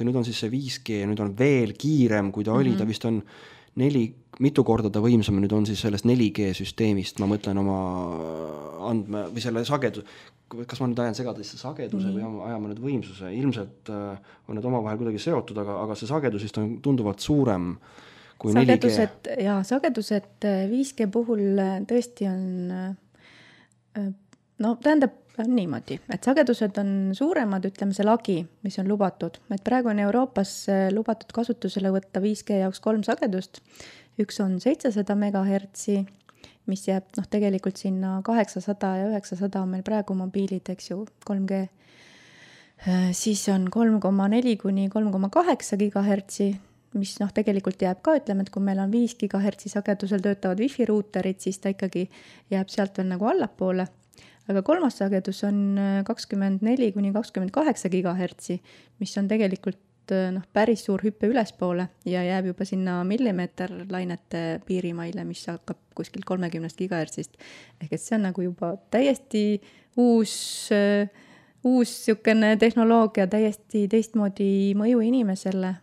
nüüd on siis see 5G ja nüüd on veel kiirem, kui ta oli, ta vist on mitu korda ta võimsam, nüüd on siis sellest 4G süsteemist, ma mõtlen oma või selle sagedus, kas ma nüüd ajan segadesse sageduse või ajame nüüd võimsuse, ilmselt on need omavahel kuidagi seotud, aga see sagedus vist on tunduvalt suurem kui 4G. Sagedused 5G puhul tõesti on, tähendab niimoodi, et sagedused on suuremad, ütleme see lagi, mis on lubatud, et praegu on Euroopas lubatud kasutusele võtta 5G jaoks 3 sagedust, üks on 700 megahertsi, mis jääb tegelikult sinna 800 ja 900 on meil praegu mobiilid, eks ju, 3G. Siis on 3,4 kuni 3,8 gigahertsi, mis tegelikult jääb ka, ütleme, et kui meil on 5 gigahertsi sagedusel töötavad wifi ruuterid, siis ta ikkagi jääb sealt veel nagu allapoole. Aga kolmas sagedus on 24 kuni 28 gigahertsi, mis on tegelikult päris suur hüppe ülespoole ja jääb juba sinna millimeeterlainete piirimaile, mis hakkab kuskil 30 gigahertsist. Ehk et see on nagu juba täiesti uus sükene tehnoloogia, täiesti teistmoodi mõju inimesele.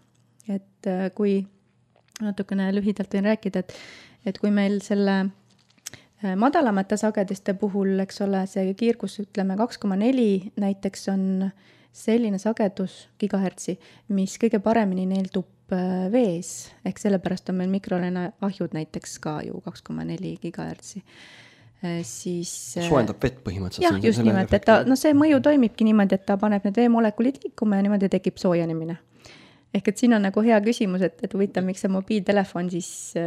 Et kui natukene lühidalt võin rääkida, et kui meil selle madalamate sagediste puhul, eks ole, see kiirgus, ütleme 2,4 näiteks on selline sagedus gigahertsi, mis kõige paremini neeldub vees, ehk sellepärast on meil mikrolaineahjud näiteks ka ju 2,4 gigahertsi. Siis soojendab vett põhimõtteliselt. Jah, just nimelt, et see mõju toimibki niimoodi, et ta paneb need veemolekulid liikuma ja niimoodi tekib soojenemine. Ehk et siin on nagu hea küsimus, et huvitav, miks see mobiiltelefon siis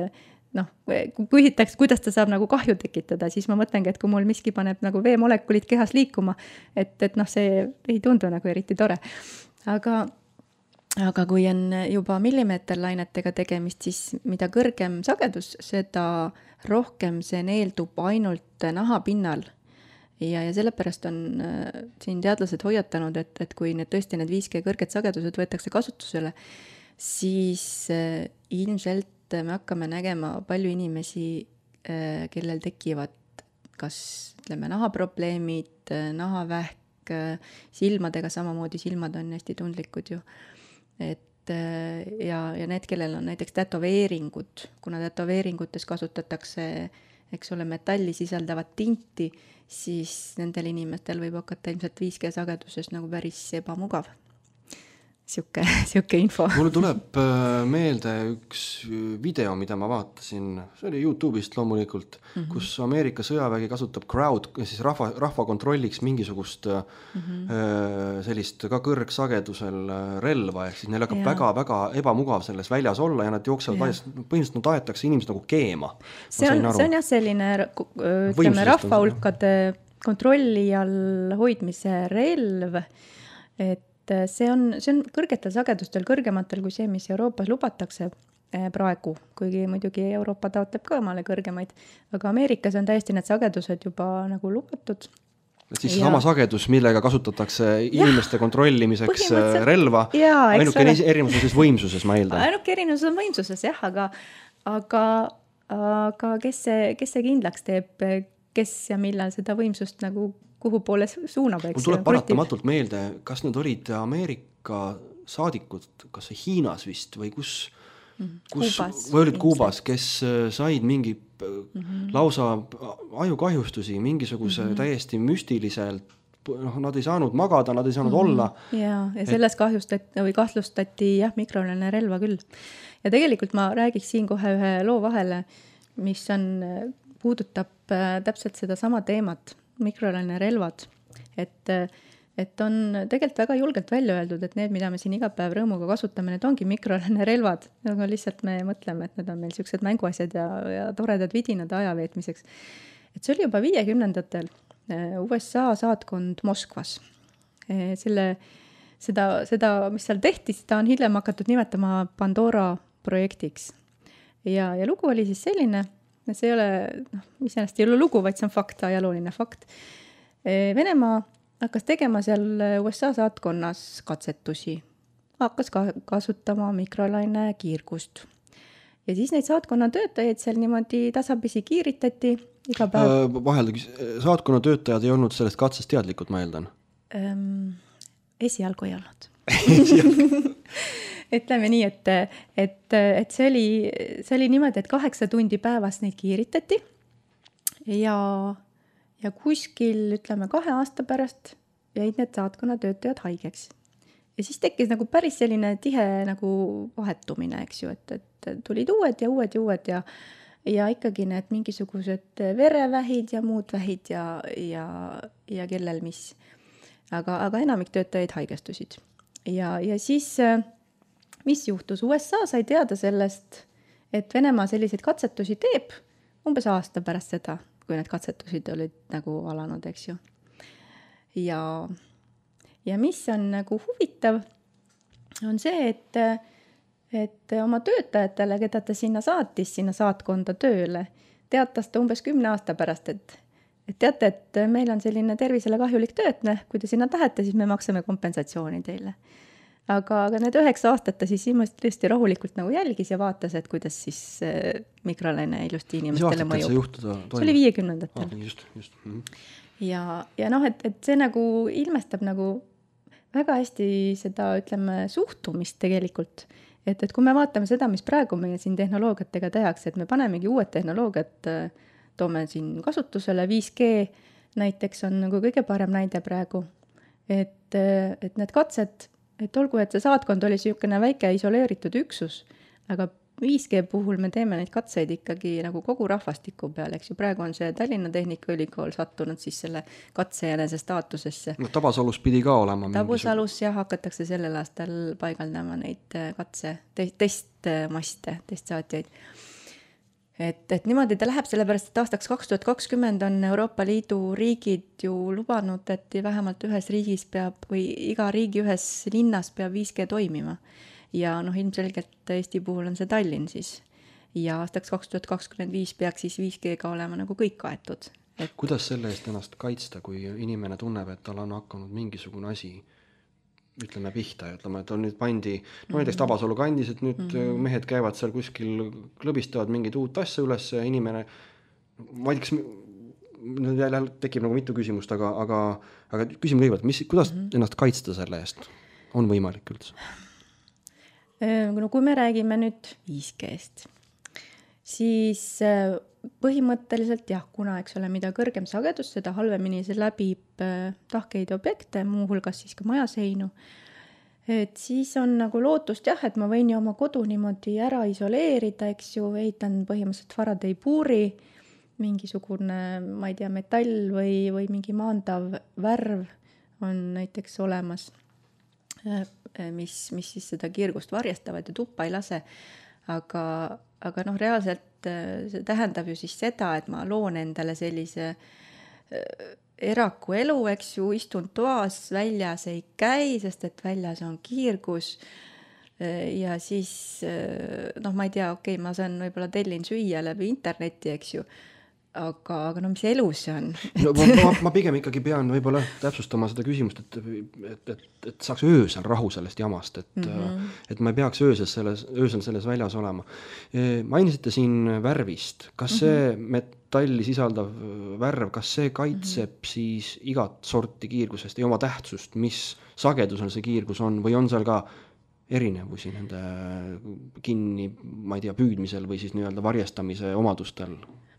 kui küsitakse, kuidas ta saab nagu kahju tekitada, siis ma mõtlengi, et kui mul miski paneb nagu veemolekulid kehas liikuma, et see ei tundu nagu eriti tore. Aga kui on juba millimeeterlainetega tegemist, siis mida kõrgem sagedus, seda rohkem see neeldub ainult nahapinnal. Ja sellepärast on siin teadlased hoiatanud, et kui tõesti need 5G kõrged sagedused võetakse kasutusele, siis ilmselt me hakkame nägema palju inimesi, kellel tekivad kas nahaprobleemid, nahavähk, silmadega samamoodi, silmad on hästi tundlikud ju. Ja need, kellel on näiteks tätoveeringud, kuna tätoveeringutes kasutatakse, eks ole, metalli sisaldavat tinti, siis nendel inimestel võib hakata ilmselt 5G sageduses nagu päris ebamugav. Siuke info. Mulle tuleb meelde üks video, mida ma vaatasin, see oli YouTube'ist loomulikult, kus Ameerika sõjavägi kasutab siis rahva kontrolliks mingisugust sellist ka kõrgsagedusel relva, ehk siis neil hakkab väga-väga ebamugav selles väljas olla ja nad jooksevad põhimõtteliselt nad aetakse inimesed nagu keema. See on jah selline rahvahulkade kontrolli all hoidmise relv, et see on kõrgetel sagedustel, kõrgematel kui see, mis Euroopas lubatakse praegu, kuigi muidugi Euroopa taotleb ka omale kõrgemaid, aga Ameerikas on täiesti need sagedused juba nagu lubatud. Et siis sama sagedus, millega kasutatakse inimeste kontrollimiseks relva, ainuke erinevus on siis võimsuses, ma eeldan. Ainuke erinevus on võimsuses, jah, aga kes see kindlaks teeb, kes ja millal seda võimsust nagu kuhu poole suunab, eks. Mul tuleb paratamatult meelde, kas need olid Ameerika saadikud, kas see Hiinas vist või kus või olid Kuubas, kes said mingi lausa ajukahjustusi, mingisuguse täiesti müstiliselt, nad ei saanud magada, nad ei saanud olla. Ja selles kahtlustati mikrolaineahju relva küll. Ja tegelikult ma räägiks siin kohe ühe loo vahele, mis puudutab täpselt seda sama teemat. mikrolainerelvad, et on tegelikult väga julgelt välja öeldud, et need, mida me siin iga päev rõõmuga kasutame, need ongi mikrolainerelvad, aga lihtsalt me mõtleme, et need on meil sellised mänguasjad ja toredad vidinad aja veetmiseks. Et see oli juba 50ndatel USA saatkond Moskvas. Seda, mis seal tehti, seda on hiljem hakatud nimetama Pandora projektiks. Ja lugu oli siis selline, see ei ole, iseenesest ei ole lugu, vaid see on fakt, ajalooline fakt. Venemaa hakkas tegema seal USA saatkonnas katsetusi. Hakkas kasutama mikrolaine kiirgust. Ja siis neid saatkonna töötajaid seal niimoodi tasapisi kiiritati iga päev. Vaheldagi, saatkonna töötajad ei olnud sellest katsest teadlikud, ma eeldan? Esialgu ei olnud. Ütleme nii, et see oli niimoodi, et 8 tundi päevas neid kiiritati ja kuskil, ütleme, 2 aasta pärast jäid need saatkonna töötajad haigeks. Ja siis tekkis nagu päris selline tihe nagu vahetumine, eks ju, et tulid uued ja ikkagi need mingisugused verevähid ja muud vähid ja kellel mis. Aga enamik töötajaid haigestusid. Ja siis, mis juhtus? USA sai teada sellest, et Venemaa selliseid katsetusi teeb umbes aasta pärast seda, kui need katsetusid olid nagu alanud, eks ju. Ja mis on nagu huvitav, on see, et oma töötajatele, keda ta sinna saatis, sinna saatkonda tööle, teatas ta umbes 10 aasta pärast, et teate, et meil on selline tervisele kahjulik töötne, kui te sinna tahate, siis me maksame kompensatsiooni teile. Aga need 9 aastat ta siis tõesti rahulikult nagu jälgis ja vaatas, et kuidas siis mikrolaine ilusti inimestele mõjub. See oli 50ndatel. Just. Ja et see nagu ilmestab nagu väga hästi seda, ütleme, suhtumist tegelikult. Et kui me vaatame seda, mis praegu meie siin tehnoloogiatega tehakse, et me panemegi uued tehnoloogiat, toome siin kasutusele, 5G näiteks on nagu kõige parem näide praegu. Et need katsed, et olgu, et see saatkond oli selline väike isoleeritud üksus, aga 5G puhul me teeme neid katseid ikkagi nagu kogu rahvastiku peale, eks ju. Praegu on see Tallinna Tehnikaülikool sattunud siis selle katsejänese staatusesse. No Tabasalus pidi ka olema. Tabasalus hakatakse sellel aastal paigaldama neid testmaste, testsaatjaid. Et niimoodi ta läheb, sellepärast, et aastaks 2020 on Euroopa Liidu riigid ju lubanud, et vähemalt ühes riigis peab või iga riigi ühes linnas peab 5G toimima. Ja ilmselgelt Eesti puhul on see Tallinn siis. Ja aastaks 2025 peaks siis 5G-ga olema nagu kõik kaetud. Kuidas selle eest ennast kaitsta, kui inimene tunneb, et tal on hakanud mingisugune asi ütleme pihta ja ütleme, et on nüüd pandi, näiteks Tabasalu kandis, et nüüd mehed käivad seal kuskil, klõbistavad mingid uut asja üles ja inimene, ma ei tea, kas tekib nagu mitu küsimust, aga küsime kõigepealt, kuidas ennast kaitsta selle eest? On võimalik üldse? No kui me räägime nüüd 5G-st, siis põhimõtteliselt jah, kuna eks ole, mida kõrgem sagedus, seda halvemini see läbib tahkeid objekte, muuhulgas siis ka majaseinu. Et siis on nagu lootust jah, et ma võin ju oma kodu niimoodi ära isoleerida, eks ju, ehitan põhimõtteliselt Faraday puuri, mingisugune, ma ei tea, metall või mingi maandav värv on näiteks olemas, mis siis seda kiirgust varjastavad ja tuppa ei lase. Aga reaalselt see tähendab ju siis seda, et ma loon endale sellise eraku elu, eks ju, istun toas, väljas ei käi, sest et väljas on kiirgus ja siis, ma ei tea, okei, ma saan võib-olla tellin süüa läbi interneti, eks ju, aga mis elu see on? Ma pigem ikkagi pean võib-olla täpsustama seda küsimust, et saaks öösel rahu sellest jamast, et ma ei peaks öösel selles väljas olema. Mainisite siin värvist. Kas see metalli sisaldav värv, kas see kaitseb siis igat sorti kiirgusest ja oma tähtsust, mis sagedusel see kiirgus on, või on seal ka erinevusi nende kinni, ma ei tea, püüdmisel või siis nii-öelda varjestamise omadustel?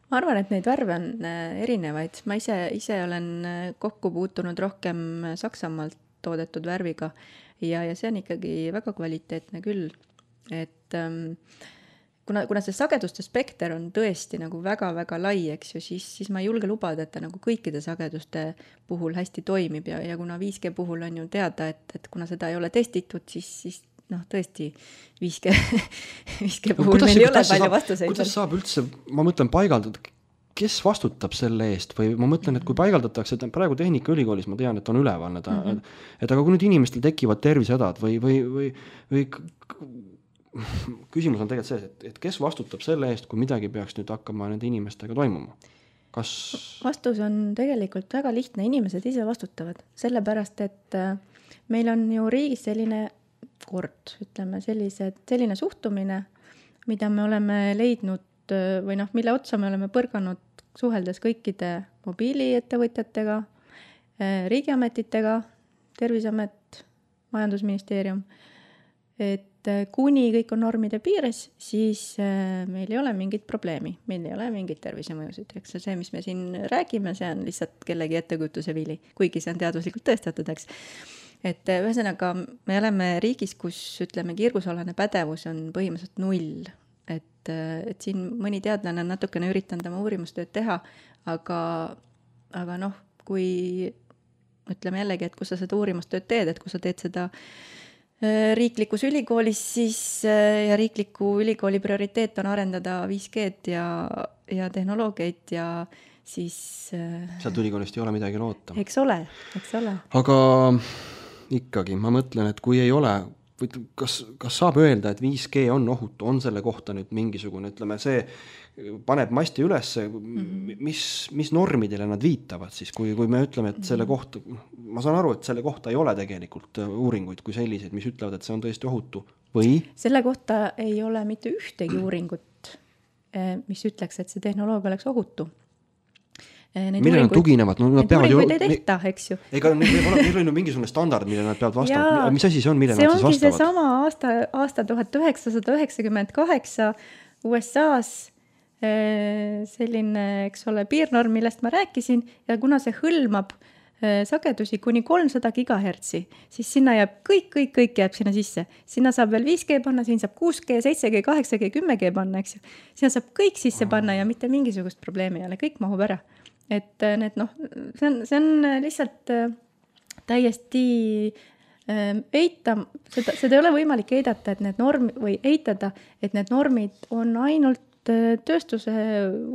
Ma arvan, et neid värve on erinevaid. Ma ise olen kokku puutunud rohkem Saksamaalt toodetud värviga ja see on ikkagi väga kvaliteetne küll. Et kuna see sageduste spekter on tõesti nagu väga-väga lai, eks ju, siis ma ei julge lubada, et ta nagu kõikide sageduste puhul hästi toimib ja kuna 5G puhul on ju teada, et kuna seda ei ole testitud, siis noh, tõesti 5G puhul meil ei ole palju vastuseid. Kuidas saab üldse, ma mõtlen, paigaldada, kes vastutab selle eest või ma mõtlen, et kui paigaldatakse, et praegu Tehnikaülikoolis ma tean, et on üleval need, et aga kui nüüd inimestel tekivad tervisehädad või küsimus on tegelikult see, et kes vastutab selle eest, kui midagi peaks nüüd hakkama nende inimestega toimuma? Vastus on tegelikult väga lihtne, inimesed ise vastutavad, sellepärast, et meil on ju riigis selline kord, ütleme selline suhtumine, mida me oleme leidnud või noh, mille otsa me oleme põrganud suheldes kõikide mobiiliettevõtjatega, riigiametitega, Terviseamet, Majandusministeerium, et kuni kõik on normide piires, siis meil ei ole mingit probleemi, meil ei ole mingit tervisemõjusid, eks see, mis me siin räägime, see on lihtsalt kellegi ettekujutuse vili, kuigi see on teaduslikult tõestatud, eks. Et ühesõnaga, me oleme riigis, kus ütleme, kiirgusalane pädevus on põhimõtteliselt 0, et siin mõni teadlane on natukene üritanud oma uurimustööd teha, aga noh, kui ütleme jällegi, et kus sa seda uurimustööd teed, et kui sa teed seda riiklikus ülikoolis, siis ja riikliku ülikooli prioriteet on arendada 5G-d ja tehnoloogiaid ja siis sealt ülikoolist ei ole midagi loota. Eks ole. Aga ikkagi, ma mõtlen, et kui ei ole, kas saab öelda, et 5G on ohutu, on selle kohta nüüd mingisugune, ütleme, see paneb masti üles, mis normidele nad viitavad siis, kui me ütleme, et selle kohta, ma saan aru, et selle kohta ei ole tegelikult uuringuid kui selliseid, mis ütlevad, et see on tõesti ohutu, või? Selle kohta ei ole mitte ühtegi uuringut, mis ütleks, et see tehnoloogia oleks ohutu. Millele nad tuginevad? Need uuringuid ei tehta, eks ju. Ega neil on ju mingisugune standard, millele nad peavad vastama. Mis asi see on, millele nad siis vastavad? See ongi seesama aasta 1998 USA-s selline, eks ole, piirnorm, millest ma rääkisin, ja kuna see hõlmab sagedusi kuni 300 gigahertsi, siis sinna jääb kõik jääb sinna sisse. Sinna saab veel 5G panna, siin saab 6G, 7G, 8G, 10G panna, eks ju. Sinna saab kõik sisse panna ja mitte mingisugust probleemi ei ole, kõik mahub ära. Et need, noh, see on lihtsalt täiesti seda ei ole võimalik eidata, et need või eitada, et need normid on ainult tööstuse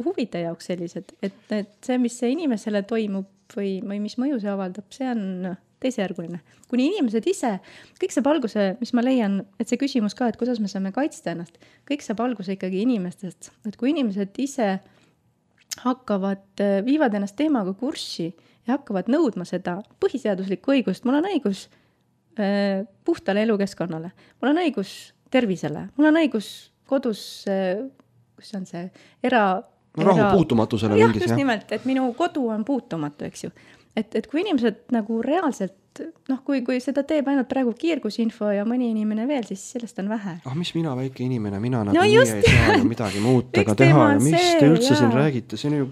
huvide jaoks sellised, et see, mis see inimesele toimub või mis mõju see avaldab, see on teisejärguline. Kuni inimesed ise, kõik saab alguse, mis ma leian, et see küsimus ka, et kuidas me saame kaitsta ennast, kõik saab alguse ikkagi inimestest, et kui inimesed ise viivad ennast teemaga kurssi ja hakkavad nõudma seda põhiseaduslikku õigust, mul on õigus puhtale elukeskkonnale, mul on õigus tervisele, mul on õigus kodus, kus on see rahu puutumatusele jah, just nimelt, et minu kodu on puutumatu, eks ju. Et kui inimesed nagu reaalselt, noh, kui seda teeb ainult praegu kiirgusinfo ja mõni inimene veel, siis sellest on vähe. Mis mina, väike inimene, mina nagu nii ei saa ju midagi muutega teha ja mis te üldse siin räägite, see on ju...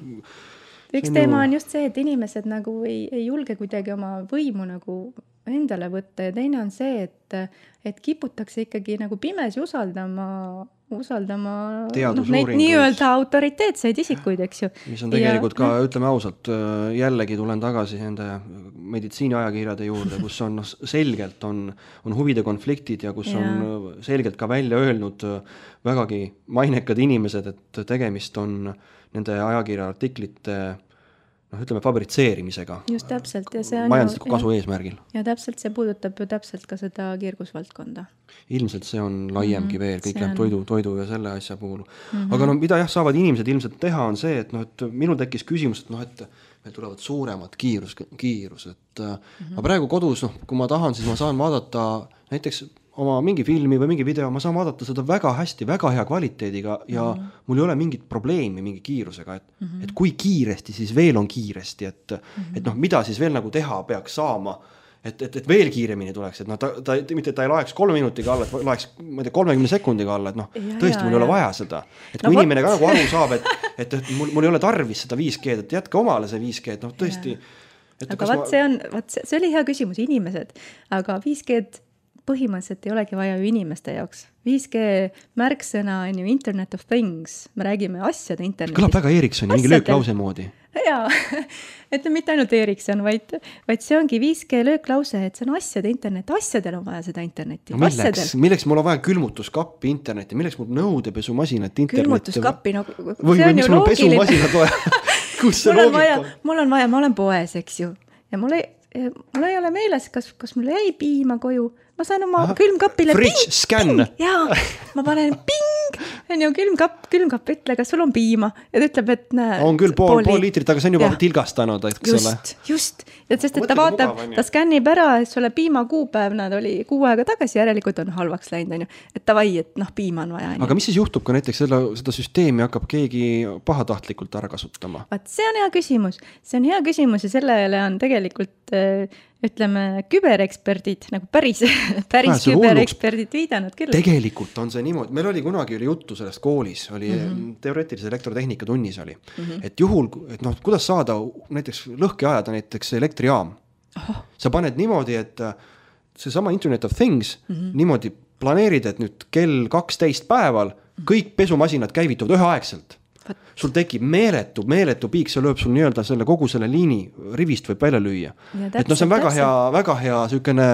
Üks teema on just see, et inimesed nagu ei julge kuidagi oma võimu nagu endale võtta ja teine on see, et kiputakse ikkagi nagu pimesi usaldama neid nii-öelda autoriteetseid isikuid, eks ju. Mis on tegelikult ka, ütleme ausalt, jällegi tulen tagasi nende meditsiiniajakirjade juurde, kus on selgelt on huvide konfliktid ja kus on selgelt ka välja öelnud vägagi mainekad inimesed, et tegemist on nende ajakirja artiklite ütleme fabritseerimisega. Just täpselt. Ja see on majandusliku kasu eesmärgil. Ja täpselt see puudutab ju täpselt ka seda kiirgusvaldkonda. Ilmselt see on laiemgi veel, kõik läheb toidu ja selle asja puhul. Aga mida saavad inimesed ilmselt teha on see, et et minul tekkis küsimus, et meil tulevad suuremad kiirus. Ma praegu kodus, kui ma tahan, siis ma saan vaadata näiteks oma mingi filmi või mingi video, ma saan vaadata seda väga hästi, väga hea kvaliteediga ja mul ei ole mingit probleemi mingi kiirusega, et kui kiiresti siis veel on kiiresti, et mida siis veel nagu teha peaks saama, et veel kiiremini tuleks, et mitte ta ei laeks 3 minutiga alla, et laeks 30 sekundiga alla, et tõesti mul ei ole vaja seda. Et kui inimene ka nagu aru saab, et mul ei ole tarvis seda 5G, et jätka omale see 5G, et tõesti. Aga see oli hea küsimus, inimesed, aga 5G põhimõtteliselt ei olegi vaja ju inimeste jaoks. 5G märksõna on ju Internet of Things, me räägime asjade internetist. Kõlab väga Ericssoni, mingi lööklause moodi. Jaa, et mitte ainult Ericsson, vaid see ongi 5G lööklause, et see on asjade internet, asjadel on vaja seda internetti. No milleks mul on vaja külmutuskappi internetti, milleks mul nõudepesumasinat internetti? Külmutuskappi, no või miks mul on pesumasinat vaja? Kus see loogika? Mul on vaja, ma olen poes, eks ju, ja mul ei ole meeles, kas mul jäi piima koju. Ma saan oma külmkapile fridge scan. Jaa, ma panen ping, on ju külmkapp ütle, kas sul on piima. Ja ta ütleb, et näe. On küll pool liitrit, aga see on juba tilgastanud, eks ole. Just. Ja sest, et ta vaatab, ta skännib ära, et sulle piima kuupäev, nad oli 6 aega tagasi, järelikult on halvaks läinud, on ju. Et tavai, et piima on vaja. Aga mis siis juhtub, kui näiteks seda süsteemi hakkab keegi pahatahtlikult ära kasutama? Vaat, see on hea küsimus. See on hea küsimus ja sellele on tegelikult ütleme, kübereksperdid, nagu päris kübereksperdid viidanud küll. Tegelikult on see niimoodi, meil oli kunagi juttu sellest koolis, oli teoreetilise elektrotehnika tunnis oli, et juhul, et kuidas saada näiteks lõhki ajada näiteks elektrijaam. Sa paned niimoodi, et see sama Internet of Things niimoodi planeerid, et nüüd kell 12 päeval kõik pesumasinad käivituvad üheaegselt. Sul tekib meeletu piik, see lööb sul nii-öelda selle kogu selle liini rivist võib välja lüüa. Et see on väga hea sükene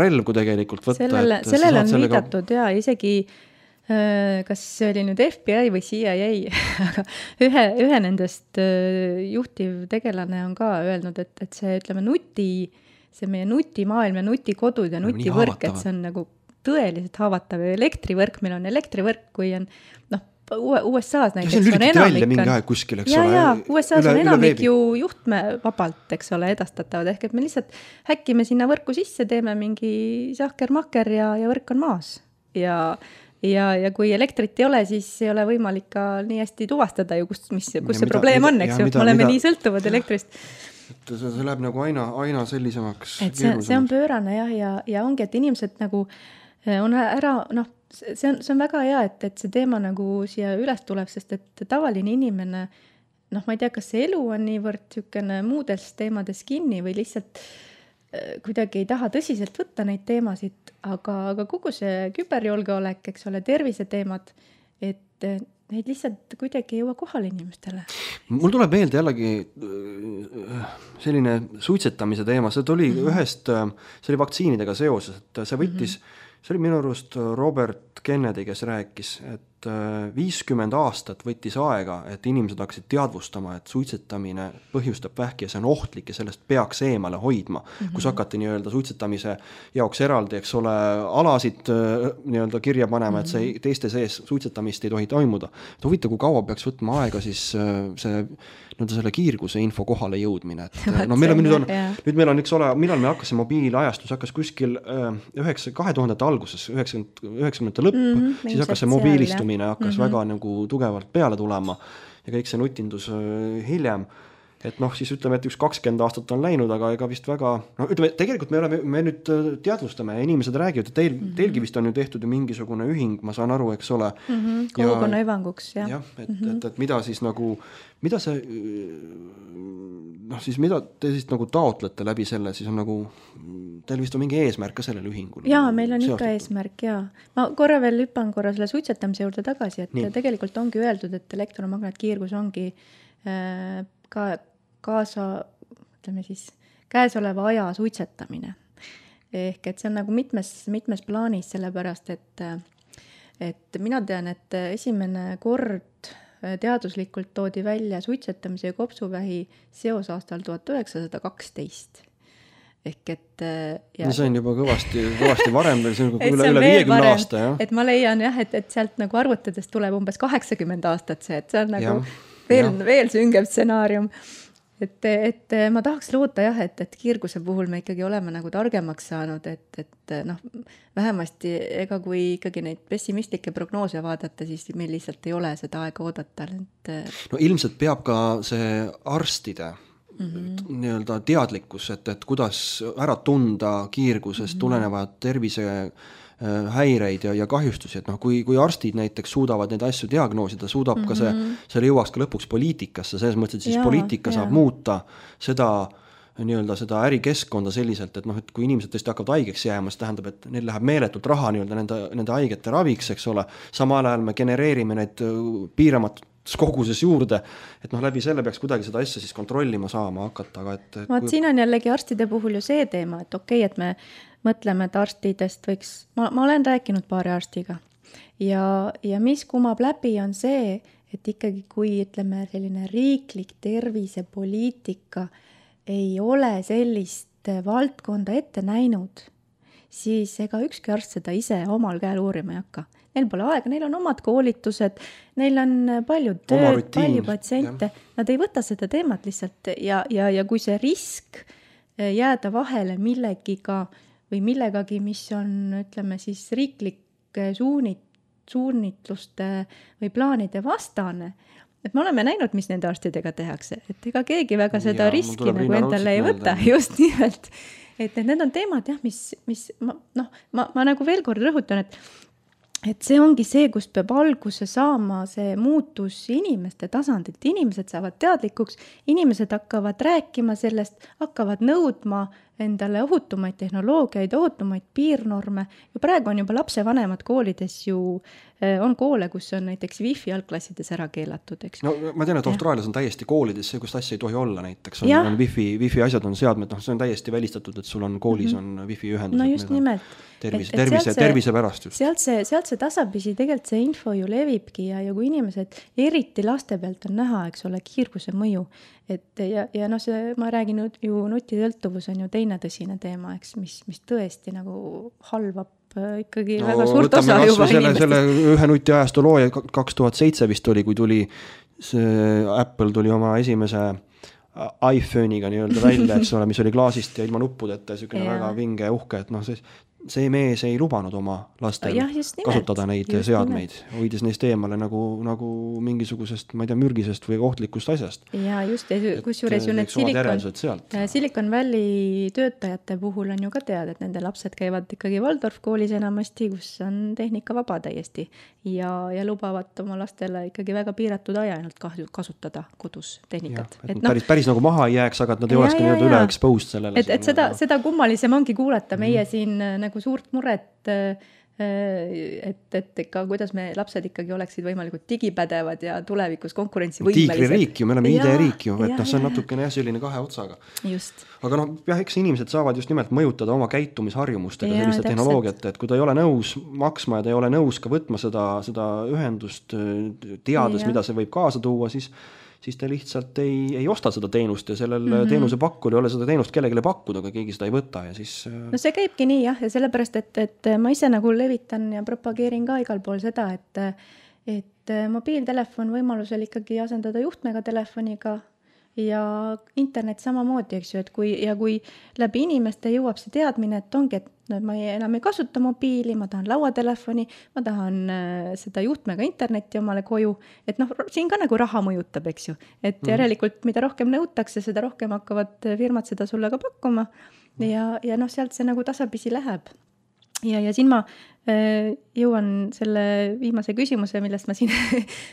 relv, kui tegelikult võtta. Sellele on viidatud ja isegi, kas see oli nüüd FBI või CIA, aga ühe nendest juhtiv tegelane on ka öelnud, et see, ütleme, see meie nutimaailm ja nutikodud ja nutivõrk, et see on nagu tõeliselt haavatav ja elektrivõrk, meil on elektrivõrk, kui on, USA-s näiteks on enamik mingi aeg kuskil, eks ole. USA-s on enamik ju juhtme vabalt, eks ole, edastatavad, ehk et me lihtsalt häkkime sinna võrku sisse, teeme mingi sahker-makker ja võrk on maas. Ja kui elektrit ei ole, siis ei ole võimalik ka nii hästi tuvastada ju, kus see probleem on, eks ju, me oleme nii sõltuvad elektrist. See läheb nagu aina sellisemaks. Et see on pöörane ja ongi, et inimesed nagu on ära, see on väga hea, et see teema nagu siia üles tuleb, sest et tavaline inimene, ma ei tea, kas see elu on niivõrd sükene muudes teemades kinni või lihtsalt kuidagi ei taha tõsiselt võtta neid teemasid, aga kogu see küberjulgeolek, eks ole, terviseteemad, et neid lihtsalt kuidagi ei jõua kohale inimestele. Mul tuleb meelde jällegi selline suitsetamise teema, see oli see oli vaktsiinidega seoses, et see võttis see oli minu arust Robert Kennedy, kes rääkis, et 50 aastat võttis aega, et inimesed hakkasid teadvustama, et suitsetamine põhjustab vähki ja see on ohtlik ja sellest peaks eemale hoidma. Kus hakati nii-öelda suitsetamise jaoks eraldi, eks ole, alasid nii-öelda kirja panema, et see teiste sees suitsetamist ei tohi toimuda. Et huvita, kui kaua peaks võtma aega siis selle kiirguse info kohale jõudmine. Nüüd meil on, eks ole, millal me hakkasime mobiilajastus, hakkas kuskil 2000 alguses, 90 lõpp, siis hakkas see mobiilistumine hakkas väga nagu tugevalt peale tulema ja kõik see nutindus hiljem. Et siis ütleme, et 20 aastat on läinud, aga ega vist väga, ütleme, tegelikult me nüüd teadvustame ja inimesed räägivad, et teilgi vist on ju tehtud ju mingisugune ühing, ma saan aru, eks ole. Kogukonna hüvanguks, jah. Et mida siis nagu, mida see, siis mida te siis nagu taotlete läbi selle, siis on nagu, teil vist on mingi eesmärk ka sellel ühingul? Jaa, meil on ikka eesmärk, jaa. Ma korra veel hüppan selle suitsetamise juurde tagasi, et tegelikult ongi öeldud, et elektromagnetkiirgus ongi käesoleva aja suitsetamine. Ehk et see on nagu mitmes plaanis, sellepärast, et mina tean, et esimene kord teaduslikult toodi välja suitsetamise ja kopsuvähi seos aastal 1912. Ehk et see on juba kõvasti varem, see on üle 50 aasta, jah. Et ma leian jah, et sealt nagu arvutades tuleb umbes 80 aastat see, et see on nagu veel süngem stsenaarium. Et ma tahaks loota jah, et kiirguse puhul me ikkagi oleme nagu targemaks saanud, et vähemasti ega kui ikkagi neid pessimistlikke prognoose vaadata, siis meil lihtsalt ei ole seda aega oodata. No ilmselt peab ka see arstide nii-öelda teadlikkus, et kuidas ära tunda kiirgusest tulenevad tervise häireid ja kahjustusi, et kui arstid näiteks suudavad neid asju diagnoosida, suudab ka see jõuaks ka lõpuks poliitikasse, selles mõttes, et siis poliitika saab muuta seda nii-öelda seda ärikeskkonda selliselt, et noh, et kui inimesed tõesti hakkavad haigeks jääma, siis tähendab, et neil läheb meeletult raha nii-öelda nende haigete raviks, eks ole, samal ajal me genereerime neid piiramatus koguses juurde, et noh, läbi selle peaks kuidagi seda asja siis kontrollima saama hakata, aga vaat siin on jällegi arstide puhul ju see teema, et okei, et me mõtleme, et arstidest võiks, ma olen rääkinud paari arstiga ja mis kumab läbi on see, et ikkagi kui ütleme selline riiklik tervisepoliitika ei ole sellist valdkonda ette näinud, siis ega ükski arst seda ise omal käel uurima ei hakka. Neil pole aega, neil on omad koolitused, neil on palju tööd, palju patsiente, nad ei võta seda teemat lihtsalt ja kui see risk jääda vahele millegiga või millegagi, mis on, ütleme siis riiklik suunitluste või plaanide vastane, et me oleme näinud, mis nende arstidega tehakse, et ega keegi väga seda riski nagu endale ei võta, just nimelt. Et need on teemad, jah, mis ma nagu veel kord rõhutan, et see ongi see, kus peab alguse saama see muutus inimeste tasandilt. Inimesed saavad teadlikuks, inimesed hakkavad rääkima sellest, hakkavad nõudma endale ohutumaid tehnoloogiaid, ohutumaid piirnorme. Ja praegu on juba lapsevanemad koolides ju, on koole, kus on näiteks wifi algklassides ära keelatud, eks. No ma tean, et Austraalias on täiesti koolides see, kust asja ei tohi olla näiteks. On wifi asjad on seadmed, see on täiesti välistatud, et sul on koolis on wifi ühendused. No just nimelt. Tervise pärast just. Sealt see tasapisi tegelikult see info ju levibki ja kui inimesed, eriti laste pealt on näha, eks ole, kiirguse mõju. Ja noh, ma räägin ju nutitõltuvus on ju teine tõsine teema, eks, mis tõesti nagu halvab ikkagi väga suurt osa juba inimestest. Selle ühe nutiajastu looja 2007 vist oli, kui tuli Apple tuli oma esimese iPhone'iga nii-öelda välja, eks ole, mis oli klaasist ja ilma nuppudeta ja selline väga vinge uhke, et noh, see mees ei lubanud oma lastel kasutada neid seadmeid, hoides neist eemale nagu mingisugusest, ma ei tea, mürgisest või ohtlikust asjast. Ja just, kusjuures ju need Silicon Valley töötajate puhul on ju ka teada, et nende lapsed käivad ikkagi Waldorf koolis enamasti, kus on tehnika vaba täiesti ja lubavad oma lastele ikkagi väga piiratud aja ainult kasutada kodus tehnikat. Päris nagu maha ei jääks, aga et nad ei olekski nii-öelda üle exposed sellele. Et seda kummalisem ongi kuulata meie siin nagu suurt muret, et ikka, kuidas me lapsed ikkagi oleksid võimalikult digipädevad ja tulevikus konkurentsivõimelised. Tiigririik ju, me oleme ID-riik ju, et see on natukene selline kahe otsaga. Just. Aga noh, eks inimesed saavad just nimelt mõjutada oma käitumisharjumustega selliste tehnoloogiate, et kui ta ei ole nõus maksma ja ta ei ole nõus ka võtma seda ühendust teades, mida see võib kaasa tuua, siis ta lihtsalt ei osta seda teenust ja sellel teenuse pakkul ei ole seda teenust kellegile pakkuda, aga keegi seda ei võta ja siis... No see käibki nii jah, ja sellepärast, et ma ise nagu levitan ja propageerin ka igal pool seda, et mobiiltelefon võimalusel ikkagi asendada juhtmega telefoniga ja internet samamoodi, eks ju, et kui läbi inimeste jõuab see teadmine, et ongi, et ma enam ei kasuta mobiili, ma tahan lauatelefoni, ma tahan seda juhtmega internetti omale koju, et noh, siin ka nagu raha mõjutab, eks ju, et järelikult mida rohkem nõutakse, seda rohkem hakkavad firmad seda sulle ka pakkuma ja noh, sealt see nagu tasapisi läheb. Ja siin ma jõuan selle viimase küsimuse, millest ma siin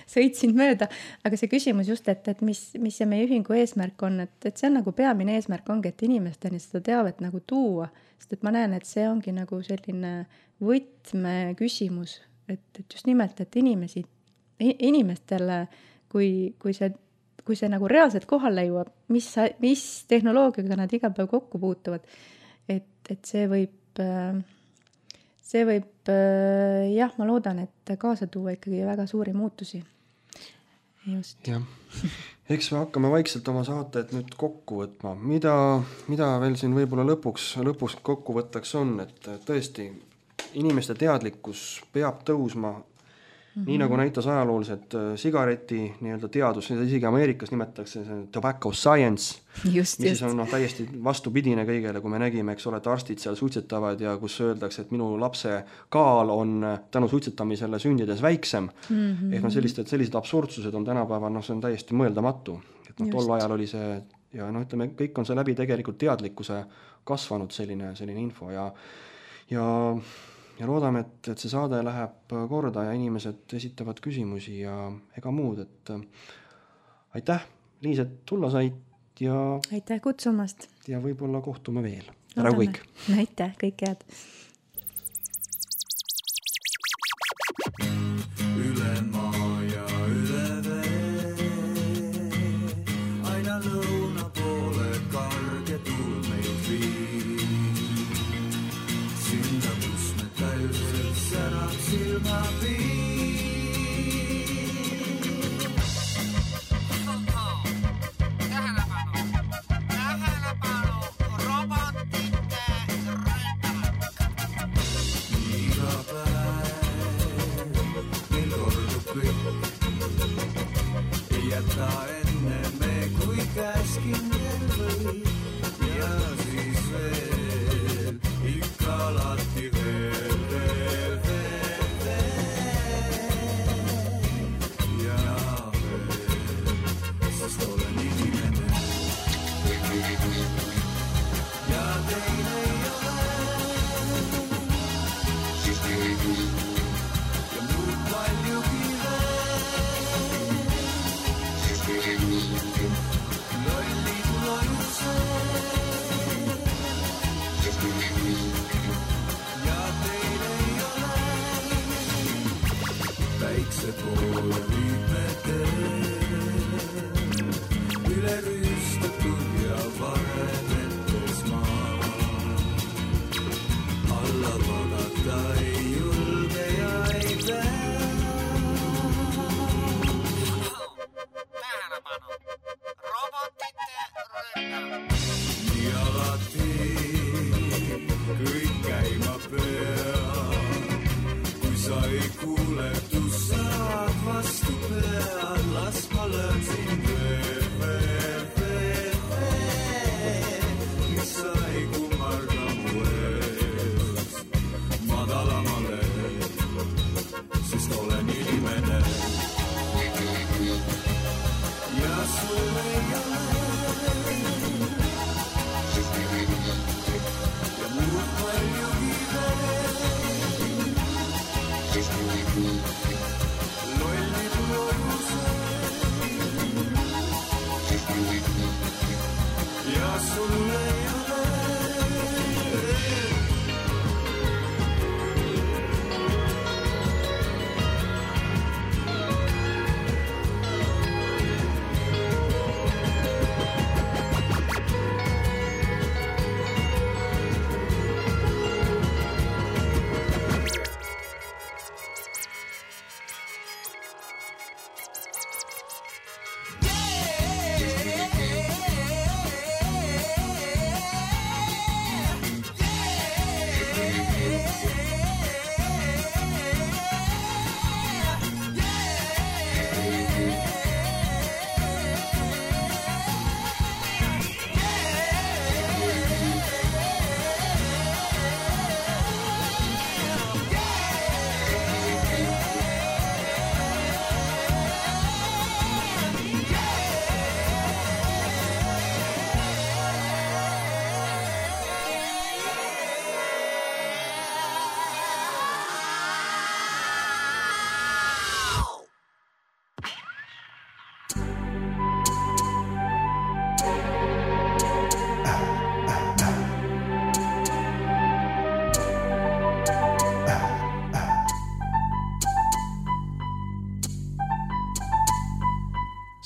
sõitsin mööda, aga see küsimus just, et mis see meie ühingu eesmärk on, et see on nagu peamine eesmärk ongi, et inimesteni seda teavet nagu tuua, sest et ma näen, et see ongi nagu selline võtme küsimus, et just nimelt, et inimestele, kui see nagu reaalselt kohale jõuab, mis tehnoloogiaga nad iga päev kokku puutuvad, et see võib jah, ma loodan, et kaasa tuua ikkagi väga suuri muutusi. Just. Jah. Eks me hakkame vaikselt oma saated nüüd kokku võtma. Mida veel siin võib-olla lõpuks kokku võttaks on, et tõesti inimeste teadlikkus peab tõusma nii nagu näitas ajalooliselt sigareti nii-öelda teadus, seda isegi Ameerikas nimetatakse tobacco science, mis on täiesti vastupidine kõigele, kui me nägime, eks ole, et arstid seal suitsetavad ja kus öeldakse, et minu lapse kaal on tänu suitsetamisele sündides väiksem. Ehk sellised absurdsused on tänapäeval, see on täiesti mõeldamatu. Et tol ajal oli see, ja ütleme, kõik on see läbi tegelikult teadlikkuse kasvanud selline info ja loodame, et see saade läheb korda ja inimesed esitavad küsimusi ja ega muud, et aitäh, Liis, et tulla said ja aitäh kutsumast! ja võib-olla kohtume veel. Tere kõik! Aitäh, kõik head! Üle maa ja üle vee, aina lõuna poole karge tuul meid viib. Sinna, kus me täiselt särab silmapiir. Jätä enne me kui käskin või ja siis veel ikka alati veel ja veel, sest olen inimene ja teine ei ole ja muud paljugi lollid lojused ja teil ei ole väikse poole viimete üle rüüstatud ja varemetes maa alla vaadata ei julge ja ei pea. Nii alati kõik käima peab, kui sa ei kuule, tu saad vastu pead, las ma löön sind veel, mis sa ei kummarda mu eest madalamale, sest olen inimene ja sul ei ole ja muud paljugi veel lollid lojused ja sul ei ole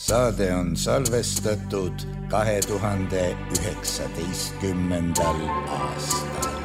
Saade on salvestatud 2019. aastal.